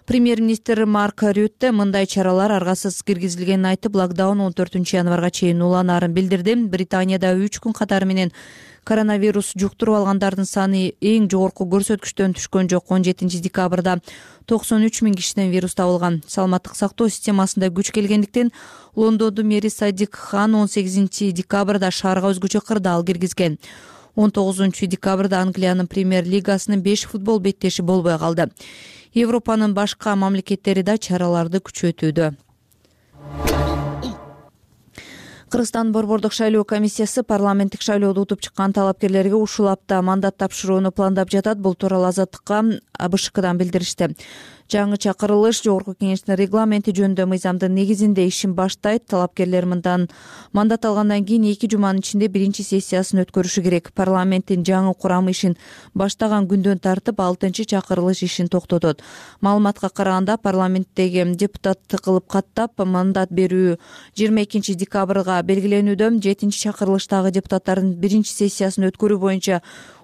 Премьер-министр Марк Рютте мындай чаралар аргасыз киргизилгенин айтып, локдаун 14 январга чейин уланаарын билдирди. Британияда 3 күн катары менен коронавирус жуктуруп алгандардын саны эң жогорку көрсөткүчтөн түшкөн жок. 17 декабрда 93 000 кишиден вирус табылган. Саламаттык сактоо системасында күч келгендиктен Лондондун мэри Садик Хан 18 декабрда шаарга өзгөчө кырдаал киргизген. 19 декабрда Англиянын премьер-лигасынын 5 футбол беттеши болбой калды. Европанын башка мамлекеттери да чараларды күчөтүүдө. Кыргызстан борбордук шайлоо комиссиясы парламенттик шайлоодо утуп чыккан талапкерлерге ушул апта мандат тапшырууну пландап жатат. Бул тууралуу Азаттыкка БШКдан билдиришти. Жаңы чакырылыш жогорку кеңештин регламенти жөнүндө мыйзамдын негизинде ишин баштайт. Талапкерлер мындан мандат алгандан кийин 2 жуманын ичинде биринчи сессиясын өткөрүшү керек. Парламенттин жаңы курамы ишин баштаган күндөн тартып 6-чы чакырылыш ишин токтотот. Маалыматка караганда парламенттеги депутатты кылып каттап мандат берүү 22 декабрга белгиленүүдө. 7-чи чакырылыштагы депутаттардын биринчи сессиясын өткөрүү боюнча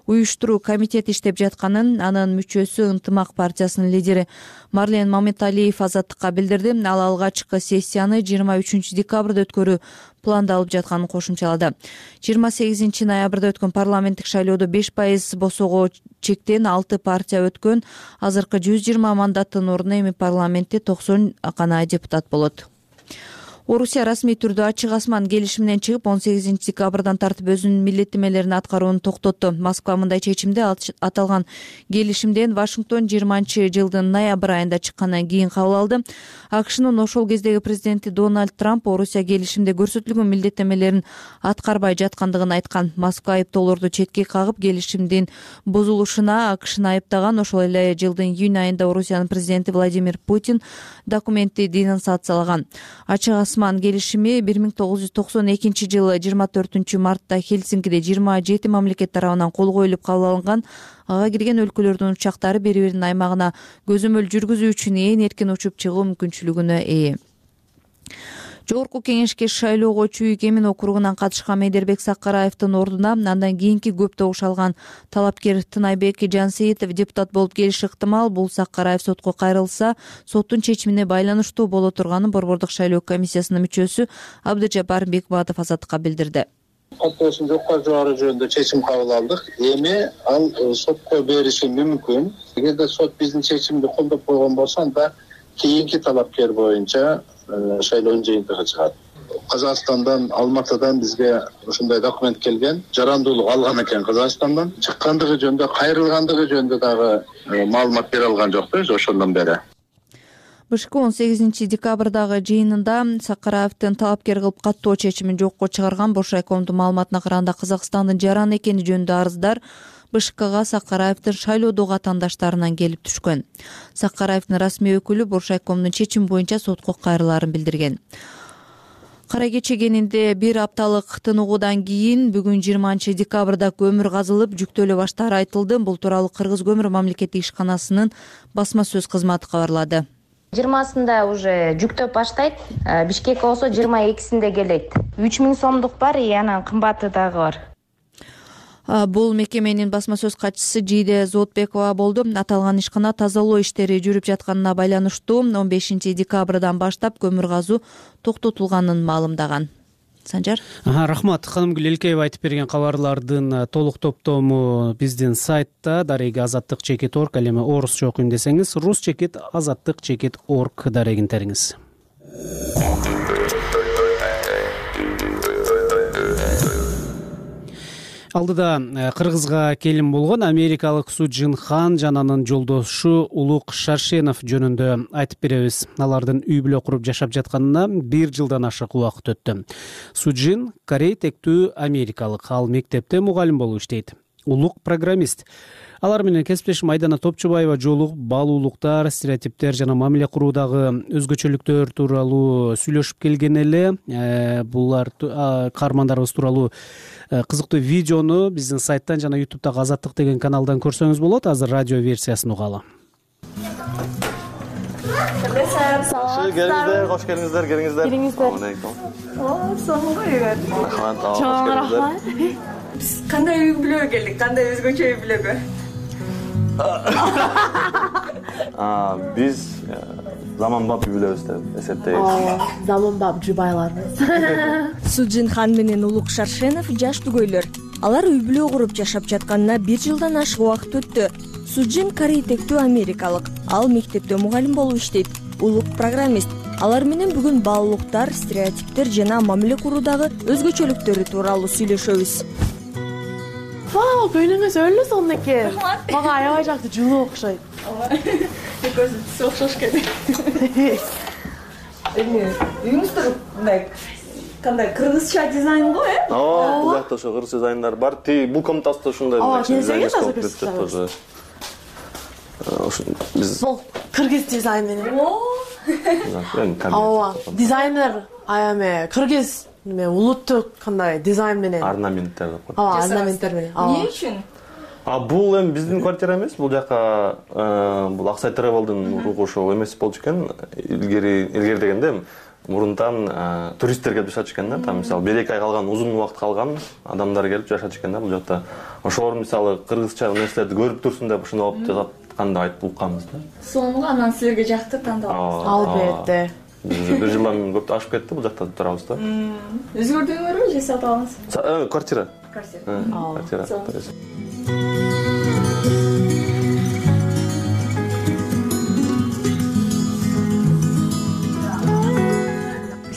уюштуруу комитети иштеп жатканын анын мүчөсү Ынтымак партиясынын лидери Марлен Маматалиев Азаттыкка билдирди. Ал алгачкы сессияны 23 декабрда өткөрүү пландалып жатканын кошумчалады. 28 ноябрда өткөн парламенттик шайлоодо 5% босоого чектен 6 партия өткөн. Азыркы 120 мандаттын ордуна эми парламентте 90 гана депутат болот. Орусия расмий түрдө ачык асман келишиминен чыгып 18 декабрдан тартып өзүнүн милдеттемелерин аткарууну токтотту. Москва мындай чечимди аталган келишимден Вашингтон 20-жылдын ноябрь айында чыккандан кийин кабыл алды. АКШнын ошол кездеги президенти Дональд Трамп Орусия келишимде көрсөтүлгөн милдеттемелерин аткарбай жаткандыгын айткан. Москва айыптоолорду четке кагып келишимдин бузулушуна АКШны айыптаган. Ошол эле жылдын июнь айында Орусиянын президенти Владимир Путин документти денонсациялаган. Ачык асман келишими 1992 жылы 24 мартта Хельсинкиде 27 мамлекет тарабынан кол коюлуп кабыл алынган. Ага кирген өлкөлөрдүн учактары бири-биринин аймагына көзөмөл жүргүзүү үчүн ээн эркин учуп чыгуу мүмкүнчүлүгүнө ээ. Жогорку кеңешке шайлоого Чүйүк Эмин округунан катышкан Медербек Сакараевдин ордуна андан кийинки көп добуш алган талапкер Тынайбек Жансейитов депутат болуп келиши ыктымал. Бул Сакараев сотко кайрылса, соттун чечимине байланыштуу боло турганын борбордук шайлоо комиссиясынын мүчөсү Абдыжапар Бекбатов Азаттыкка билдирди. каттоосун жокко жибаруу жөнүндө чечим кабыл алдык. Эми ал сотко бериши мүмкүн. Эгерде сот биздин чечимди колдоп койгон болсо, анда кийинки талапкер боюнча шайлоонун жыйынтыгы чыгат. Казакстандан, Алматыдан бизге ушундай документ келген. Жарандуулук алган экен Казакстандан. Чыккандыгы жөнүндө, кайрылгандыгы жөнүндө дагы маалымат бере алган жокпуз ошондон бери. БШК 18 декабрдагы жыйынында Сакараевдин талапкер кылып каттоо чечимин жокко чыгарган. Боршайкомдун маалыматына караганда Казакстандын жаран экени жөнүндө арыздар БШКга Сакараевдин шайлоодогу атаандаштарынан келип түшкөн. Сакараевдин расмий өкүлү Боршайкомдун чечими боюнча сотко кайрылаарын билдирген. Кара кече кенинде бир апталык тыныгуудан кийин бүгүн 20 декабрда көмүр казылып, жүктөлө баштаары айтылды. Бул тууралуу Кыргыз көмүр мамлекеттик ишканасынын басма сөз кызматы кабарлады. 20-сында уже жүктөп баштайт. Бишкекке болсо 22-синде келет. 3000 сомдук бар, анан кымбаты дагы бар. Бул мекеменин басма сөз катчысы Жийде Зоотбекова болду. Аталган ишкана тазалоо иштери жүрүп жатканына байланыштуу 15 декабрдан баштап көмүр казуу токтотулганын маалымдаган. Санжар? Рахмат. Ханымгүл Элкеева айтып берген кабарлардын толук топтому биздин сайтта дареги azatlyk.org, ал эми орусча окуйм десеңиз rus.azatlyk.org дарегин териңиз. Алдыда Кыргызга келин болгон америкалык Суджин Хан жана анын жолдошу Улук Шаршенов жөнүндө айтып беребиз. Алардын үй бүлө куруп жашап жатканына 1 жылдан ашык убакыт өттү. Суджин корей тектүү америкалык, ал мектепте мугалим болуп иштейт. Улук программист. Алар менен кесиптешим Айдана Топчубаева жолугуп, баалуулуктар, стереотиптер жана мамиле куруудагы өзгөчөлүктөр тууралуу сүйлөшүп келген эле. Булар каармандарыбыз тууралуу кызыктуу видеону биздин сайттан жана YouTube'дагы Азаттык деген каналдан көрсөңүз болот. Азыр радио версиясын угалы. Келиңиздер, кош келиңиздер, келиңиздер. Рахмат. Биз кандай үй бүлөгө келдик, кандай өзгөчө үй бүлөгө? Биз заманбап үй бүлөбүз деп эсептейбиз. Заманбап жубайларбыз. Суджин Хан менен Улук Шаршенов жаш түгөйлөр. Алар үй бүлө куруп жашап жатканына 1 жылдан ашык убакыт өттү. Суджин корей тектүү америкалык. Ал мектепте мугалим болуп иштейт. Улук программист. Алар менен бүгүн баалуулуктар, стереотиптер жана мамиле куруудагы өзгөчөлүктөрү тууралуу сүйлөшөбүз. Вау, көйлөңүз өлүү сонун экен. Мага аябай жакты жылуу окшойт. Экөөбүз түсү окшош экен. Үйүңүздө мындай кандай кыргызча дизайн го, Бул жакта ошо кыргыз дизайндар бар. Бул комнатасында ушундай дизайн тоже. Биз бул кыргыз дизайн менен. Дизайнер эме кыргыз улуттук кандай дизайн менен орнаменттер деп коет. Орнаменттер менен. Эмне үчүн? Бул эми биздин квартира эмес, бул жака бул Аксай Travel'дын уругу ошол эмес болчу экен. Илгери дегенде мурунтан туристтер келип жашачу экен да. Там мисалы 1-2 ай калган, узун убакыт калган адамдар келип жашачу экен да бул жакта. Ошолор мисалы кыргызча нерселерди көрүп турсун деп ушуну алып жатканда айтып укканбыз да. Сонун, анан силерге жакты тандабыз. Албетте. Бир жылдан көп ашып кетти, бул жакта турабыз да. Өзгөрдүңөрбү же сатып алдыңыз? Квартира. Квартира.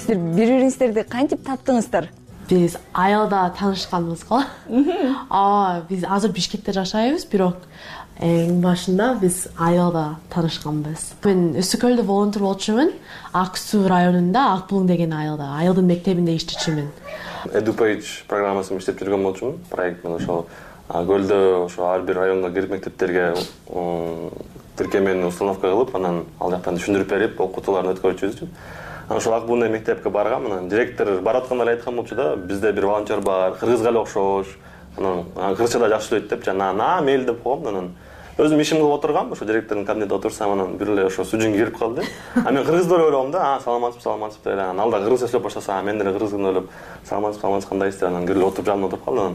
Силер бири-бириңиздерди кантип таптыңыздар? Биз айылда таанышканбыз го. Биз азыр Бишкекте жашайбыз, бирок эң башында биз айылда таанышканбыз. Мен Өсүкөлдө волонтер болчумун. Ак Суу районунда Ак Булуң деген айылда, айылдын мектебинде иштечүмүн. EduPage программасын иштеп жүргөн болчумун, проект менен ошол көлдө ошо ар бир районго кирип мектептерге тиркемени установка кылып, анан ал жактан түшүндүрүп берип, окутууларын өткөрчүбүз. Ошол Ак Булуң мектепке баргам, анан директор баратканда эле айткан болчу да, бизде бир волонтер бар, кыргызга эле окшош. Анан кыргызча да жакшы сүйлөйт деп жана мейли деп койгом. Анан өзүм ишим кылып отургам, ошо директордун кабинетинде отурсам, анан бир эле ошо Суджин кирип калды. Мен кыргыз деп ойлогом да, саламатсызбы деп. Анан ал да кыргызча сүйлөп баштаса, мен деле кыргыз деп ойлоп, саламатсызбы, кандайсыздар? Анан кирип отуруп жанына отуруп калды.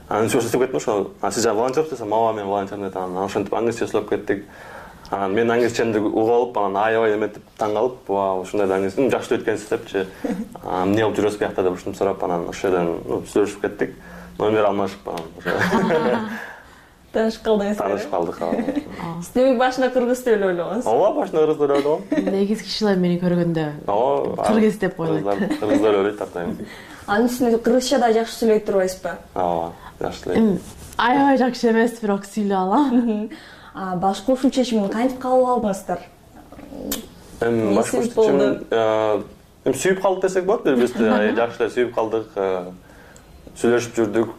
Анан ошо сөздөп кеттим, ошо сиз волонтерсиз десем, ооба мен волонтермин деп. Анан ошентип англисче сүйлөп кеттик. Анан менин англисчемди угуп алып, анан аябай эметип таң калып, вау, ушундай да англис жакшы өткөнсүз депчи. Эмне кылып жүрөсүз биякта деп ушинтип сурап, анан ошол жерден сүйлөшүп кеттик. Номер алмашып анан таанышып калдыңыз. Таанышып калдык. Сиз демек башында кыргыз деп эле ойлогонсуз? Ооба, башында кыргыз деп ойлогом. Негизи кишилер мени көргөндө кыргыз деп ойлойт. Кыргыз деп ойлойт атайын. Анын үстүнө кыргызча да жакшы сүйлөй турбайсызбы? Ооба, жакшы сүйлөйм. Аябай жакшы эмес, бирок сүйлөй алам. Башкы ушул чечимди кантип кабыл алдыңыздар? Башкы чечим сүйүп калдык десек болот, биз-бизди жакшы эле сүйүп калдык, сүйлөшүп жүрдүк.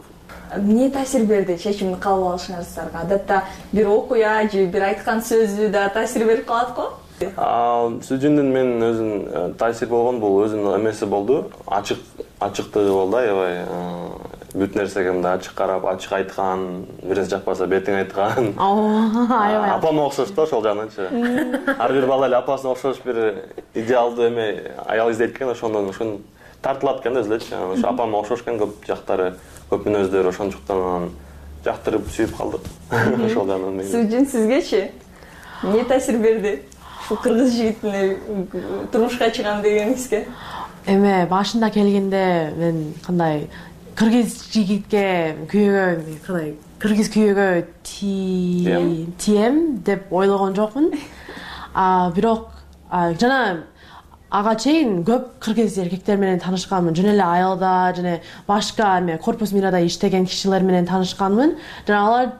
Эмне таасир берди чечимди кабыл алышыңарга? Адатта бир окуя же бир айткан сөзү да таасир берип калат го? Сүжүндүн менин өзүн таасир болгон бул өзүнүн эмеси болду. Ачыктыгы болду, аябай бүт нерсеге мындай ачык карап, ачык айткан, бир нерсе жакпаса бетиң айткан. Аябай. Апама окшош да ошол жагынанчы. Ар бир бала эле апасына окшош бир идеалдуу эме аял издейт экен, ошондон тартылат экен да өзүлөчү. Ошо апама окшош экен көп жактары, көп мүнөздөрү, ошондуктан анан жактырып сүйүп калдык. Ошол жагынан. Сүжүн сизгечи эмне таасир берди? Ушул кыргыз жигитине турмушка чыгам дегениңизге? Эме башында келгенде мен кандай кыргыз жигитке күйөөгө, кандай кыргыз күйөөгө тием деп ойлогон жокмун. Бирок жана ага чейин көп кыргыз эркектер менен таанышканмын. Жөн эле айылда жана башка эме корпус мирада иштеген кишилер менен таанышканмын. Жана алар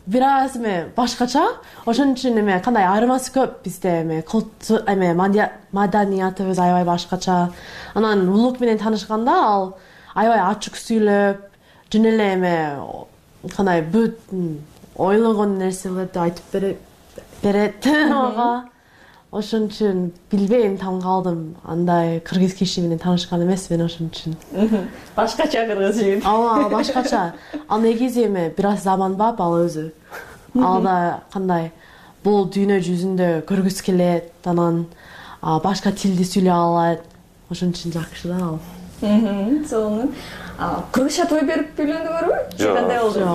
бир аз эме башкача, ошон үчүн эме кандай айырмасы көп бизде эме эме маданиятыбыз аябай башкача. Анан улук менен таанышканда ал аябай ачык сүйлөп, жөн эле эме кандай бүт ойлогон нерселерди айтып берет ага. Ошон үчүн билбейм, таң калдым. Андай кыргыз киши менен таанышкан эмесмин ошон үчүн. Башкача кыргыз жигит. Ооба, башкача. Ал негизи эме бир аз заманбап ал өзү. Ал да кандай бул дүйнө жүзүндө көргүсү келет, анан башка тилди сүйлөй алат. Ошон үчүн жакшы да ал. Сонун. Кыргызча той берип үйлөндүңөрбү? Же кандай болду?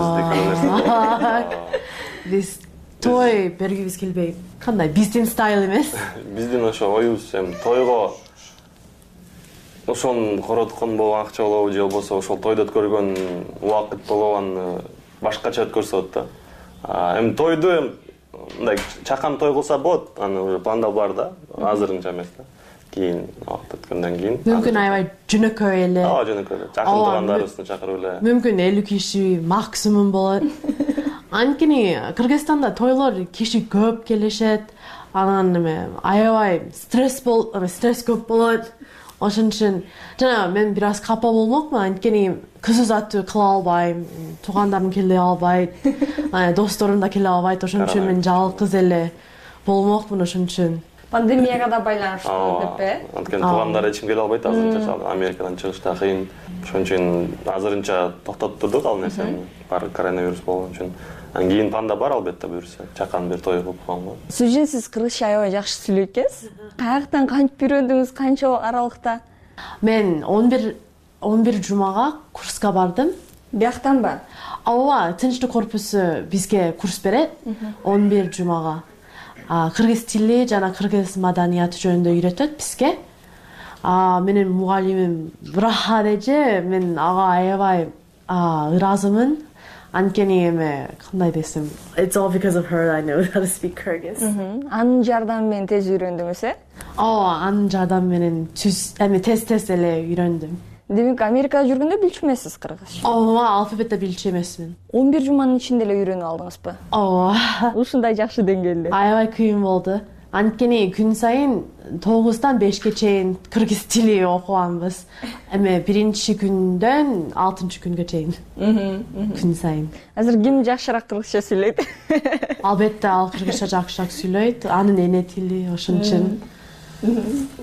Биз той бергибиз келбей. Кандай биздин стайл эмес. Биздин ошо оюбуз тойго ошон короткон болгон акча болобу же болбосо ошол тойду өткөргөн убакыт болобу башкача өткөрсө болот да. Эми тойду мындай чакан той кылса болот, аны уже планда бар да, азырынча эмес да. Кийин убакыт өткөндөн кийин. Мүмкүн аябай жөнөкөй эле. Жөнөкөй эле. Жакын туугандарыбызды чакырып эле. Мүмкүн 50 киши максимум болот. Анткени Кыргызстанда тойлор киши көп келишет, анан эме аябай стресс көп болот. Ошон үчүн жана мен бир аз капа болмокмун, анткени кыз узатуу кыла албайм, туугандарым келе албайт, досторум да келе албайт. Ошон үчүн мен жалгыз эле болмокмун. Ошон үчүн пандемияга да байланыштуу деп Анткени туугандар эч ким келе албайт азырынча, Америкадан чыгыш да кыйын. Ошон үчүн азырынча токтотуп турдук ал нерсени, бар коронавирус болгон үчүн. Анан кийин планда бар албетте буюрса, чакан бир той кылып койгонго. Сүжүн сиз кыргызча аябай жакшы сүйлөйт экенсиз. Каяктан кантип үйрөндүңүз, канча аралыкта? Мен 11 жумага курска бардым. Бияктанбы? Ооба, тынчтык корпусу бизге курс берет 11 жумага. Кыргыз тили жана кыргыз маданияты жөнүндө үйрөтөт бизге. Менин мугалимим Рахадеже, мен ага аябай ыраазымын. Анткени эме кандай десем, it's all because of her I know how to speak Kyrgyz. Анын жардамы менен тез үйрөндүңүз, Ооба, анын жардамы менен тез эле үйрөндүм. Демек, Америкада жүргөндө билчү эмессиз кыргызча? Ооба, алфавитте билчү эмесмин. 11 жуманын ичинде эле үйрөнүп алдыңызбы? Ооба. Ушундай жакшы деңгээлде. Аябай кыйын болду. Анткени күн сайын 9-тан 5ке чейин кыргыз тили окуганбыз. Эме биринчи күндөн 6-чы күнгө чейин. Күн сайын. Азыр ким жакшыраак кыргызча сүйлөйт? Албетте ал кыргызча жакшыраак сүйлөйт. Анын эне тили, ошон үчүн.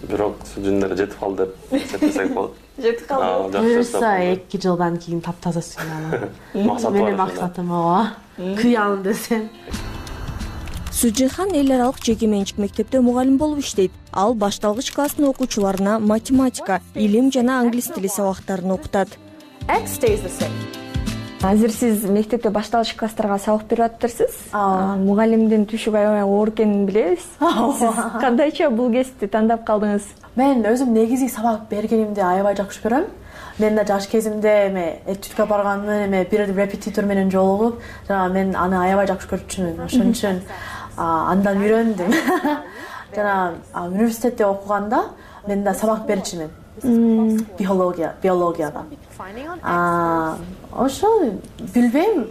Бирок сүжүндөр жетип калды деп эсептесек болот. Жетип калды. Буюрса 2 жылдан кийин таптаза сүйлөй алам. Менин максатым ооба. Кыялым десем. Сүжихан эл аралык жеке менчик мектепте мугалим болуп иштейт. Ал башталгыч класстын окуучуларына математика, илим жана англис тили сабактарын окутат. Азыр сиз мектепте башталгыч класстарга сабак берип атыптырсыз. Мугалимдин түшүгү аябай оор экенин билебиз. Сиз кандайча бул кесипти тандап калдыңыз? Мен өзүм негизи сабак бергенимди аябай жакшы көрөм. Мен да жаш кезимде этюдка барганмын, бир репетитор менен жолугуп, жана мен аны аябай жакшы көрчүмүн. Ошон үчүн андан үйрөндүм. Жана университетте окуганда мен да сабак берчүмүн. Биологияда. Ошол билбейм,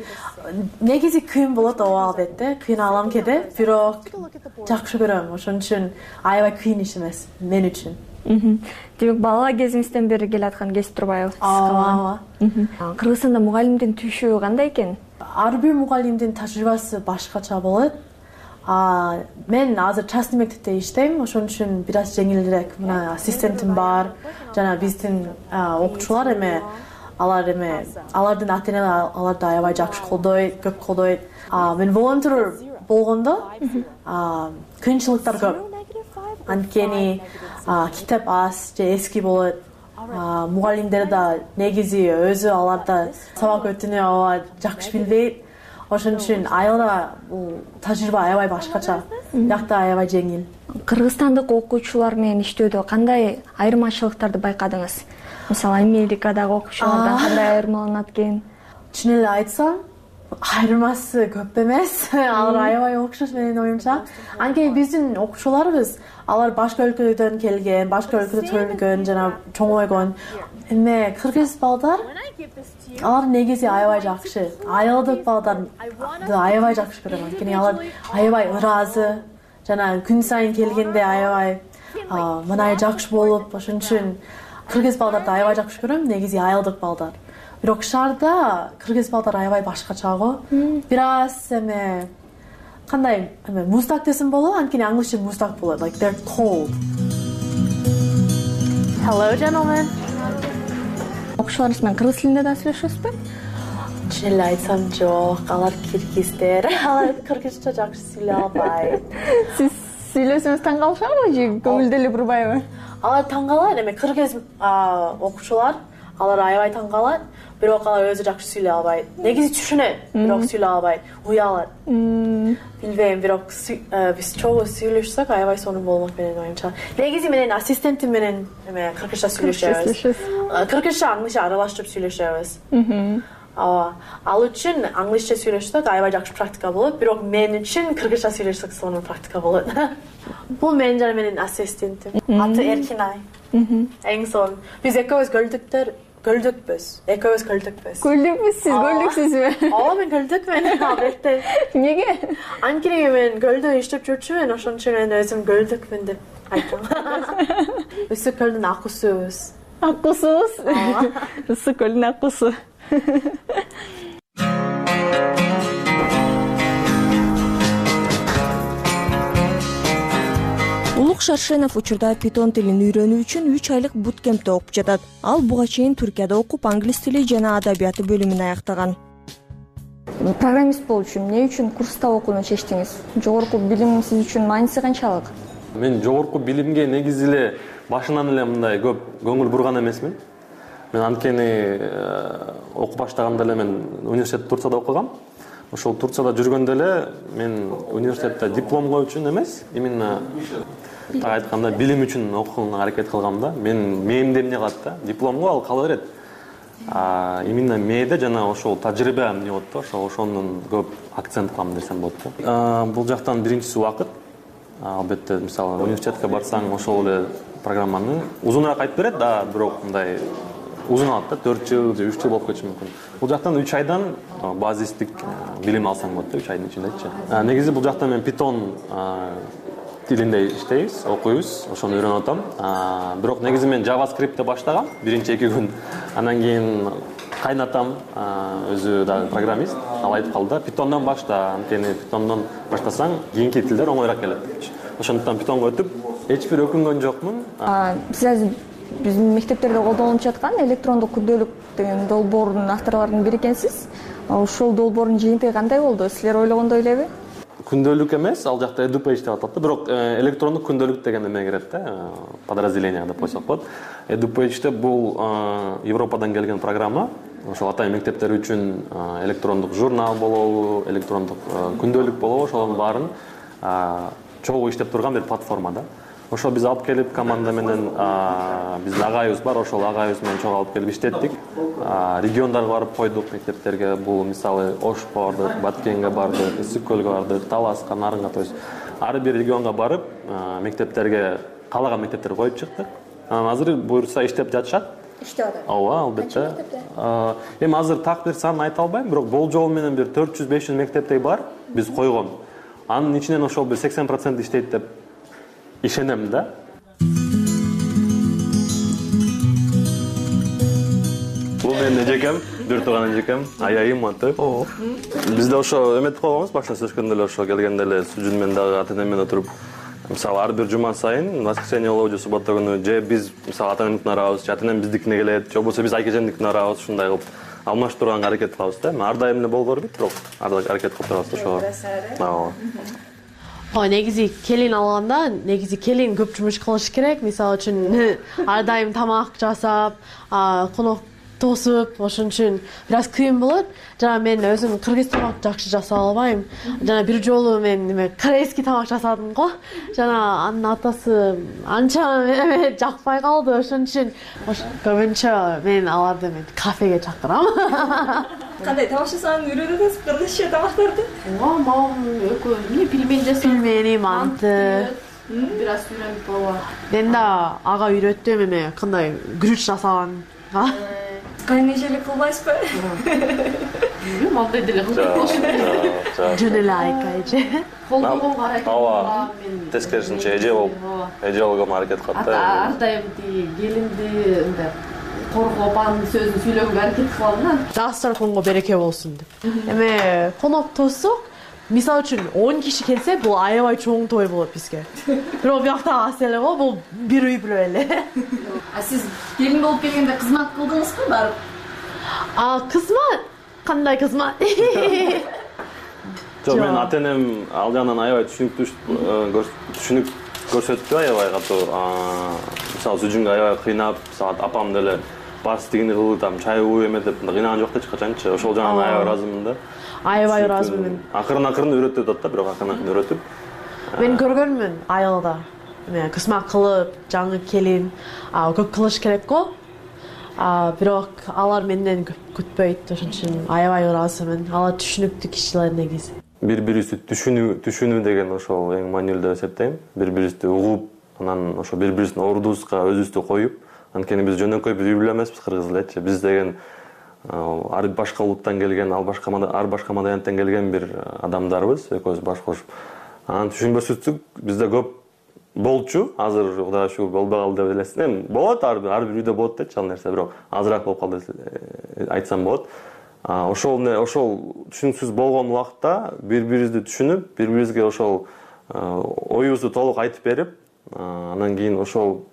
негизи кыйын болот ооба албетте, кыйналам кээде, бирок жакшы көрөм. Ошон үчүн аябай кыйын иш эмес мен үчүн. Демек бала кезиңизден бери келаткан кесип турбайбы? Ооба. Кыргызстанда мугалимдин түшүгү кандай экен? Ар бир мугалимдин тажрыйбасы башкача болот. Мен азыр частный мектепте иштейм, ошон үчүн бир аз жеңилирээк. Мына ассистентим бар, жана биздин окуучулар алардын ата-эналары аларды аябай жакшы колдойт, көп колдойт. Мен волонтер болгондо кыйынчылыктар көп. Анткени китеп аз же эски болот. Мугалимдер да негизи өзү аларда сабак өтүүнү аябай жакшы билбейт. Ошон үчүн айылда бул тажрыйба аябай башкача. Биякта аябай жеңил. Кыргызстандык окуучулар менен иштөөдө кандай айырмачылыктарды байкадыңыз? Мисалы, Америкадагы окуучулардан кандай айырмаланат экен? Чын эле айтсам, айырмасы көп эмес. Алар аябай окшош менин оюмча. Анткени биздин окуучуларыбыз алар башка өлкөдөн келген, башка өлкөдө төрөлгөн жана чоңойгон. Эми кыргыз балдар алар негизи аябай жакшы. Айылдык балдарды аябай жакшы көрөм. Анткени алар аябай ыраазы жана күн сайын келгенде аябай мынай жакшы болуп, ошон үчүн кыргыз балдарды аябай жакшы көрөм, негизи айылдык балдар. Бирок шаарда кыргыз балдар аябай башкача го. Бир аз кандай муздак десем болобу? Анткени англисче муздак болот. Like they're cold. Hello, gentlemen. Окуучуларыңыз менен кыргыз тилинде да сүйлөшөсүзбү? Чын эле айтсам жок, алар киргиздер. Алар кыргызча жакшы сүйлөй албайт. Сиз сүйлөсөңүз таң калышабы же көңүлдө эле бурбайбы? Алар таң калат, эми кыргыз окуучулар алар аябай таң калат, бирок алар өзү жакшы сүйлөй албайт. Негизи түшүнөт, бирок сүйлөй албайт, уялат. Билбейм, бирок биз чогуу сүйлөшсөк аябай сонун болмок менен оюмча. Негизи менен ассистентим менен кыргызча сүйлөшөбүз. Кыргызча, англисче аралаштырып сүйлөшөбүз. Ал үчүн англисче сүйлөшсөк аябай жакшы практика болот, бирок мен үчүн кыргызча сүйлөшсөк сонун практика болот. Бул мен жана менин ассистентим. Аты Эркинай. Эң сонун. Биз экөөбүз көлдөкпүз. Экөөбүз көлдөкпүз. Көлдөкпүз, сиз көлдөксүзбү? Ооба, мен көлдөкмүн, албетте. Эмнеге? Анткени мен көлдө иштеп жүрчүмүн, ошон үчүн мен өзүм көлдөкмүн деп айттым. Үсүк көлдүн акусубуз. Акусубуз? Үсүк көлдүн акусу. Улук Шаршенов учурда питон тилин үйрөнүү үчүн 3 айлык буткемпте окуп жатат. Ал буга чейин Түркияда окуп, англис тили жана адабияты бөлүмүн аяктаган. Программист болуу үчүн эмне үчүн курста окууну чечтиңиз? Жогорку билим сиз үчүн мааниси канчалык? Мен жогорку билимге негизи эле башынан эле мындай көп көңүл бурган эмесмин. Мен анткени окуп баштаганда эле мен университет Турцияда окугам. Ошол Турцияда жүргөндө эле мен университетте дипломго үчүн эмес, именно так айтканда билим үчүн окуганга аракет кылгам да. Мээмде эмне калат да? Дипломго ал кала берет. Именно мээде жана ошол тажрыйба эмне болот да, ошондон көп акцент кылам десем болот да. Бул жактан биринчиси убакыт. Албетте, мисалы, университетке барсаң ошол эле программаны узунураак айтып берет да, бирок мындай узун алат да, 4 жыл же 3 жыл болуп кетиши мүмкүн. Бул жактан 3 айдан базистик билим алсаң болот да, 3 айдын ичиндечи. Негизи бул жакта мен Python тилинде иштейбиз, окуйбуз, ошону үйрөнүп атам. Бирок негизи мен JavaScript'те баштагам, биринчи 2 күн. Андан кийин кайнатам, өзү да программист, ал айтып калды, Python'дан башта, анткени Python'дан баштасаң, кийинки тилдер оңоюраак келет. Ошондуктан Python'го өтүп, эч бир өкүнгөн жокмун. Сиз азыр биздин мектептерде колдонулуп жаткан электрондук күрдөөлүк деген долбоордун авторлорунун бири экенсиз. Ошол долбоордун жыйынтыгы кандай болду? Силер ойлогондой элеби? күндөлүк эмес, ал жакта EduPage деп аталат да, бирок электрондук күндөлүк деген эме кирет да, подразделение деп койсок болот. EduPage'те бул Европадан келген программа. Ошол атайын мектептер үчүн электрондук журнал болобу, электрондук күндөлүк болобу, ошолордун баарын чогуу иштеп турган бир платформа да. Ошо биз алып келип команда менен биздин агайыбыз бар, ошол агайыбыз менен чогуу алып келип иштеттик. Региондарга барып койдук, мектептерге. Бул мисалы Ошко бардык, Баткенге бардык, Ысык көлгө бардык, Таласка, Нарынга, то есть ар бир регионго барып, мектептерге каалаган мектептерге коюп чыктык. Азыр буюрса иштеп жатышат. Иштеп атат. Ооба, албетте. Эми азыр так бир санын айта албайм, бирок болжол менен бир 400-500 мектептей бар биз койгон. Анын ичинен ошол бир 80% иштейт деп ишенем да. Бул менин эжекем, бир тууган эжекем, аябайым аты. Бизде ошо эметип койгонбуз, башта сөзгөндө эле ошо келгенде эле Сүжүн менен дагы ата-эне менен отуруп, мисалы ар бир жума сайын, воскресенье болобу же суббота күнү, же биз мисалы ата-энемдикине барабыз, же ата-энем биздикине келет, же болбосо биз айкежемдикине барабыз, ушундай кылып алмаштырганга аракет кылабыз да. Ар дайым эле боло бербейт, бирок ар дайым аракет кылып турабыз ошого. Негизи келин алганда, негизи келин көп жумуш кылыш керек. Мисалы үчүн ар дайым тамак жасап, конок тосуп, ошон үчүн бир аз кыйын болот. Жана мен өзүм кыргыз тамак жакшы жасай албайм. Жана бир жолу мен корейский тамак жасадым го. Жана анын атасы анча жакпай калды. Ошон үчүн көбүнчө мен аларды кафеге чакырам. Кандай тамак жасаганын үйрөнөсүз, кыргызча тамактарды? Мамам экөө эмне пельмени жасап, пельмени, манты, бир аз үйрөнүп ооба. Мен да ага үйрөттүм эме кандай күрүч жасаган. Кайнешелик кылбайсызбы? Мындай деле кылбайм. Жөн эле айкайчы. Колдогонго аракет кылам. Тескерисинче эже болгонго аракет кылат да. Ар дайым келинди мындай коргоп анын сөзүн сүйлөгөнгө аракет кылам да. Дастарханга береке болсун деп. Эме конок тосук, мисалы үчүн 10 киши келсе, бул аябай чоң той болот бизге. Бирок биякта аз эле го, бул бир үй бүлө эле. Сиз келин болуп келгенде кызмат кылдыңызбы барып? Кызмат? Кандай кызмат? Жок, мен ата-энем ал жагынан аябай түшүнүк көрсөттү, аябай катуу. Мисалы Сүжүнгө аябай кыйнап, апам деле бастыгини кылып, там чай кууп эметип, кыйнаган жок да эч качанчы. Ошол жагынан аябай ыраазымын да. Аябай ыраазымын. Акырын үйрөтүп атат да, бирок акырын үйрөтүп. Мен көргөнмүн айылда. Эме кызмат кылып, жаңы келин көп кылыш керек го. Бирок алар менден күтпөйт, ошон үчүн аябай ыраазымын. Алар түшүнүктүү кишилер негизи. Бири-бирибизди түшүнүү деген ошол эң маанилүү деп эсептейм. Бири-бирибизди угуп, анан ошо бири-бирибиздин ордубузга өзүбүздү коюп, анткени биз жөнөкөй бир үй бүлө эмеспиз, кыргыз элечи. Биз деген ар башка улуттан келген, ар башка маданияттан келген бир адамдарбыз, экөөбүз баш кошуп. Анан түшүнбөсүздүк бизде көп болчу. Азыр Кудайга шүгүр болбой калды деп элесин. Эми болот, ар бир үйдө болот дечи ал нерсе, бирок азыраак болуп калды деп айтсам болот. Ошол түшүнүксүз болгон убакта бири-бирибизди түшүнүп, бири-бирибизге ошол оюбузду толук айтып берип, анан кийин ошол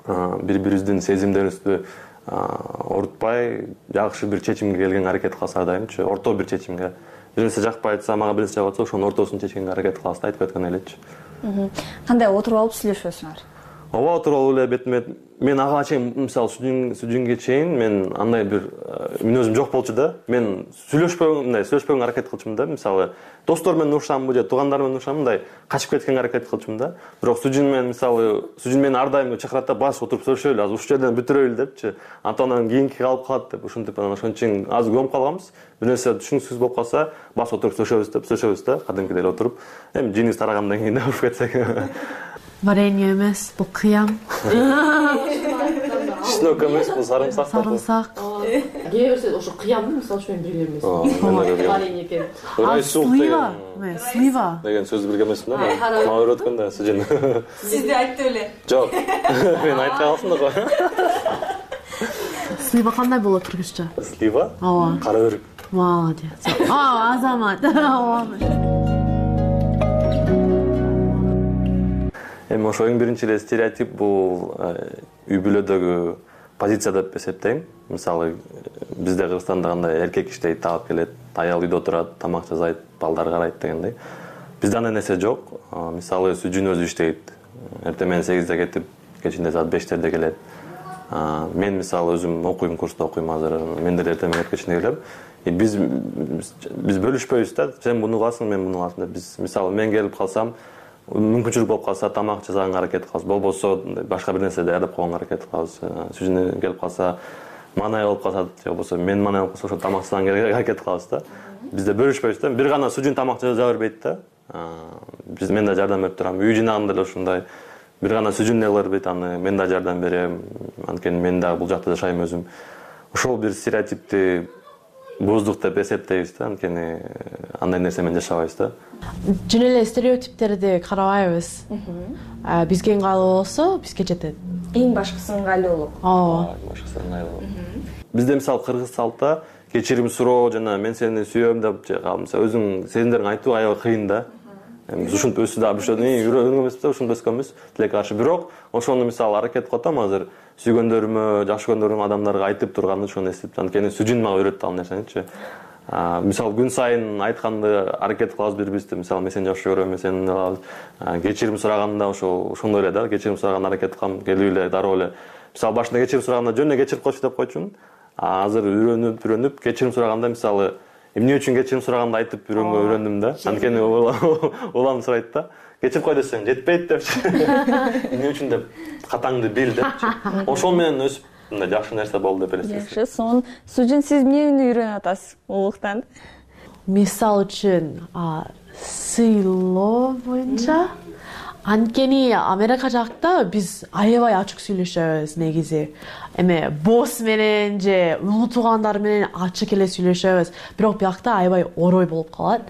бири-бирибиздин сезимдерибизди орутпай, жакшы бир чечимге келгенге аракет кылабыз ар дайымчы, орто бир чечимге. Бир нерсе жакпай атса, мага бир нерсе жагып атса, ошонун ортосун чечкенге аракет кылабыз да, айтып кеткен элечи. Кандай отуруп алып сүйлөшөсүңөр? Ооба, отуруп алып эле бетме мен ага чейин мисалы Сүжүнгө чейин мен андай бир мүнөзүм жок болчу да. Мен сүйлөшпөгөнгө аракет кылчумун да. Мисалы достор менен урушамбы же туугандар менен урушамбы, мындай качып кеткенге аракет кылчумун да. Бирок Сүжүн менен ар дайым чакырат да, бас отуруп сүйлөшөлү, азыр ушул жерден бүтүрөлү депчи. Антон кийинки калып калат деп ушинтип анан ошон үчүн аз көмүп калганбыз. Бир нерсе түшүнүксүз болуп калса, бас отуруп сүйлөшөбүз да, кадимкидей эле отуруп. Эми жиниз тарагандан кийин уруп кетсек. Варенье эмес, бул кыям. Чеснок эмес, бул сарымсак. Сарымсак. Кээ берсе ошо кыямды, мисалы үчүн мен билген эмесмин. Варенье экен. Слива деген сөздү билген эмесмин да. Мага үйрөткөн да Сүжүн. Сизди айтты беле? Жок. Мен айтпай калдым да го. Слива кандай болот кыргызча? Слива? Ооба. Кара өрүк. Молодец. Азамат. Эми ошо эң биринчи эле стереотип бул үй бүлөдөгү позиция деп эсептейм. Мисалы бизде Кыргызстанда кандай эркек иштейт, таап келет, аял үйдө отурат, тамак жасайт, балдар карайт дегендей. Бизде андай нерсе жок. Мисалы Сүжүн өзү иштейт. Эртең менен 8-де кетип, кечинде саат 5-терде келет. Мен мисалы өзүм окуйм, курста окуйм азыр. Мен деле эртең менен кечинде келем. Биз бөлүшпөйбүз да. Сен буну кыласың, мен буну кыласың деп. Биз мисалы мен келип калсам, мүмкүнчүлүк болуп калса тамак жасаганга аракет кылабыз. Болбосо башка бир нерсе даярдап койгонго аракет кылабыз. Сүжүн келип калса, манай болуп калса, же болбосо мен манай болуп калса, ошо тамак жасаганга аракет кылабыз да. Бизде бөлүшпөйбүз да. Бир гана Сүжүн тамак жаса бербейт да. Мен да жардам берип турам. Үй жинаганда деле ошондой. Бир гана Сүжүн эле бербейт, аны мен да жардам берем. Анткени мен да бул жакта жашайм өзүм. Ошол бир стереотипти боздук деп эсептейбиз да. Анткени андай нерсе менен жашабайбыз да. Жөн эле стереотиптерди карабайбыз. Бизге ыңгайлуу болсо, бизге жетет. Эң башкысы ыңгайлуулук. Ооба. Башкысы ыңгайлуу. Бизде мисалы кыргыз салтта кечирим суроо жана мен сени сүйөм деп же калса өзүң сезимдериңди айтуу аябай кыйын да. Ушинтип өсүп дагы үйрөнгөнбүз да, ушинтип өскөнбүз. Тилекке каршы. Бирок ошону мисалы аракет кылып атам азыр сүйгөндөрүмө, жакшы көргөндөрүм адамдарга айтып турганды ошону эстеп. Анткени Сүжүн мага үйрөттү ал нерсеничи. Мисалы күн сайын айтканды аракет кылабыз бири-бирибизди. Мисалы мен сени жакшы көрөм, мен сени кылабыз. Кечирим сураганда ошондой эле да. Кечирим сураганда аракет кылам, келип эле дароо эле. Мисалы башында кечирим сураганда жөн эле кечирип койчу деп койчумун. Азыр үйрөнүп кечирим сураганда мисалы эмне үчүн кечирим сураганды айтып үйрөндүм да. Анткени улам сурайт да. Кечирип кой десең жетпейт депчи. Эмне үчүн деп катаңды бил депчи. Ошол менен өсүп мындай жакшы нерсе болду деп элестейм. Жакшы, сонун Сүжүн сиз эмнени үйрөнүп атасыз улуктан? Мисал үчүн сыйлоо боюнча. Анткени Америка жакта биз аябай ачык сүйлөшөбүз негизи. Эме босс менен же улуу туугандар менен ачык эле сүйлөшөбүз. Бирок биякта аябай орой болуп калат.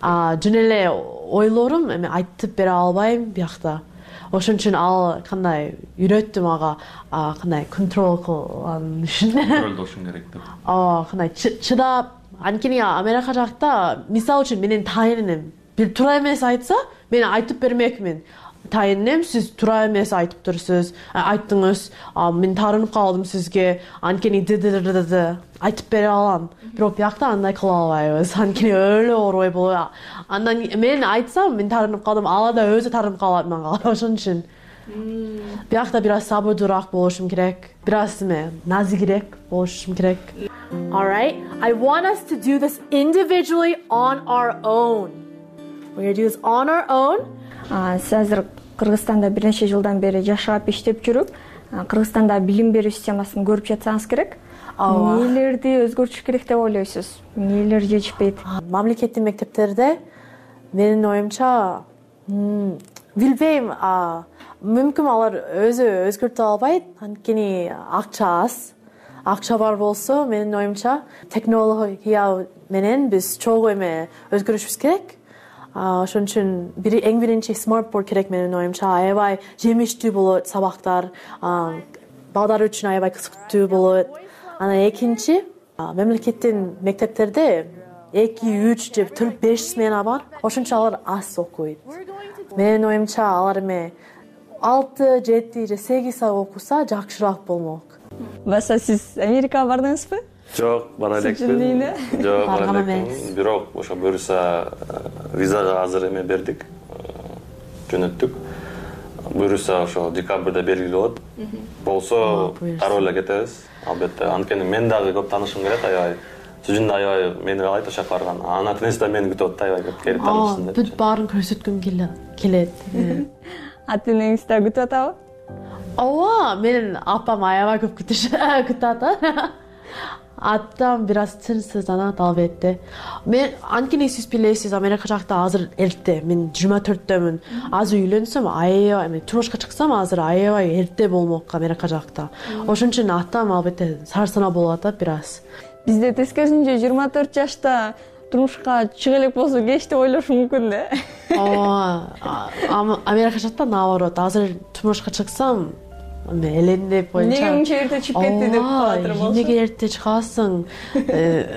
Жөн эле ойлорум эме айтып бере албайм биякта. Ошон үчүн ал кандай үйрөттү мага кандай контрол кылган үчүн. Контролдошуң керек деп. Кандай чыдап. Анткени Америка жакта мисал үчүн менин тайыным бир туура эмес айтса, мен айтып бермекмин. Тайыным, сиз туура эмес айтып турсуз, айттыңыз, мен таарынып калдым сизге, анткени айтып бере алам. Бирок биякта андай кыла албайбыз, анткени өлө орой болот. Андан мен айтсам, мен таарынып калдым, ала да өзү таарынып калат мага. Ошон үчүн биякта бир аз сабырдуураак болушум керек, бир аз назигирээк болушум керек. All right, I want us to do this individually on our own. We're going to do this on our own. Сиз азыр Кыргызстанда бир нече жылдан бери жашап иштеп жүрүп, Кыргызстанда билим берүү системасын көрүп жатсаңыз керек. Эмнелерди өзгөртүш керек деп ойлойсуз? Эмнелер жетишпейт? Мамлекеттик мектептерде менин оюмча билбейм, мүмкүн алар өзү өзгөртө албайт, анткени акча аз. Акча бар болсо, менин оюмча технология менен биз чогуу эме өзгөрүшүбүз керек. Ошон үчүн эң биринчи смартборд керек менин оюмча. Аябай жемиштүү болот сабактар, балдар үчүн аябай кызыктуу болот. Анан экинчи, мамлекеттин мектептерде 2, 3 же 4, 5 смена бар. Ошон үчүн алар аз окуйт. Менин оюмча алар 6, 7 же 8 саат окуса жакшыраак болмок. Баса сиз Америкага бардыңызбы? Жок, бара элекпин. Жок, бара элекпин. Бирок ошо буюрса визага азыр эме бердик. Жөнөттүк. Буюрса ошо декабрда белгилүү болот. Болсо дароо эле кетебиз. Албетте. Анткени мен дагы көп таанышым келет, аябай. Сүжүн да аябай мени алайт ошо жака барган. Ана тенес да мени күтүп атты, аябай көп келип таанышсын деп. Бүт баарын көрсөткүм келет. Ата энеңиз да күтүп атабы? Ооба, менин апам аябай көп күтүп атат. Атам бир аз тынчсызданат албетте. Мен анткени сиз билесиз, Америка жакта азыр эрте. Мен 24-дөмүн. Азыр үйлөнсөм, аябай турмушка чыксам, азыр аябай эрте болмок Америка жакта. Ошон үчүн атам албетте сарсана болуп атат бир аз. Бизде тескерисинче 24 жашта турмушка чыга элек болсо кеч деп ойлошу мүмкүн да. Америка жакта наоборот, азыр турмушка чыксам элендеп боюнча. Эмнеге мынча эрте чыгып кетти деп калатыр болчу. Эмнеге эрте чыгасың?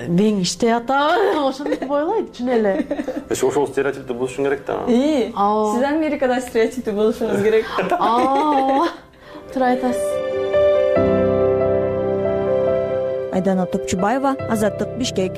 Мен иштеп атам, ошондой ойлойт чын эле. Ошол стереотипти бузушуң керек да. Сиз Америкада стереотипти бузушуңуз керек. Туура айтасыз. Айдана Топчубаева, Азаттык, Бишкек.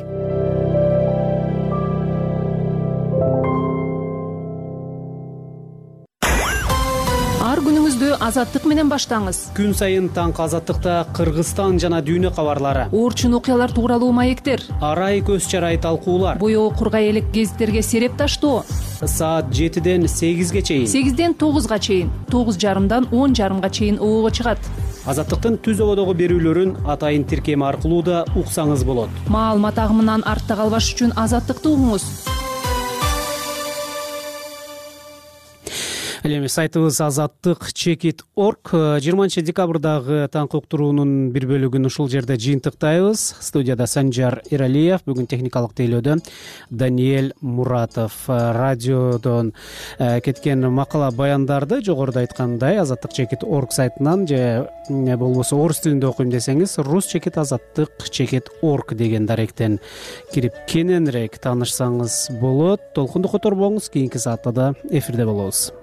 күнүңүздү азаттык менен баштаңыз. Күн сайын таңкы азаттыкта Кыргызстан жана дүйнө кабарлары, Оорчун окуялар тууралуу маектер, арай көз чарай талкуулар, боёо кургай элек гезиттерге сереп таштоо. Саат 7ден 8ге чейин, 8ден 9га чейин, 9:30дан 10:30га чейин оого чыгат. Азаттыктын түз ободогу берүүлөрүн атайын тиркем аркылуу да уксаңыз болот. Маалымат агымынан артта калбаш үчүн Азаттыкты угуңуз. Ал эми сайтыбыз azattik.org 20 декабрдагы таңкы уктуруунун бир бөлүгүн ушул жерде жыйынтыктайбыз. Студияда Санжар Иралиев, бүгүн техникалык тейлөөдө Даниэль Муратов. Радиодон кеткен макала баяндарды жогоруда айткандай azattik.org сайтынан же болбосо орус тилинде окуйм десеңиз rus.azattik.org деген даректен кирип кененирээк таанышсаңыз болот. Толкунду которбоңуз, кийинки саатта да эфирде болобуз.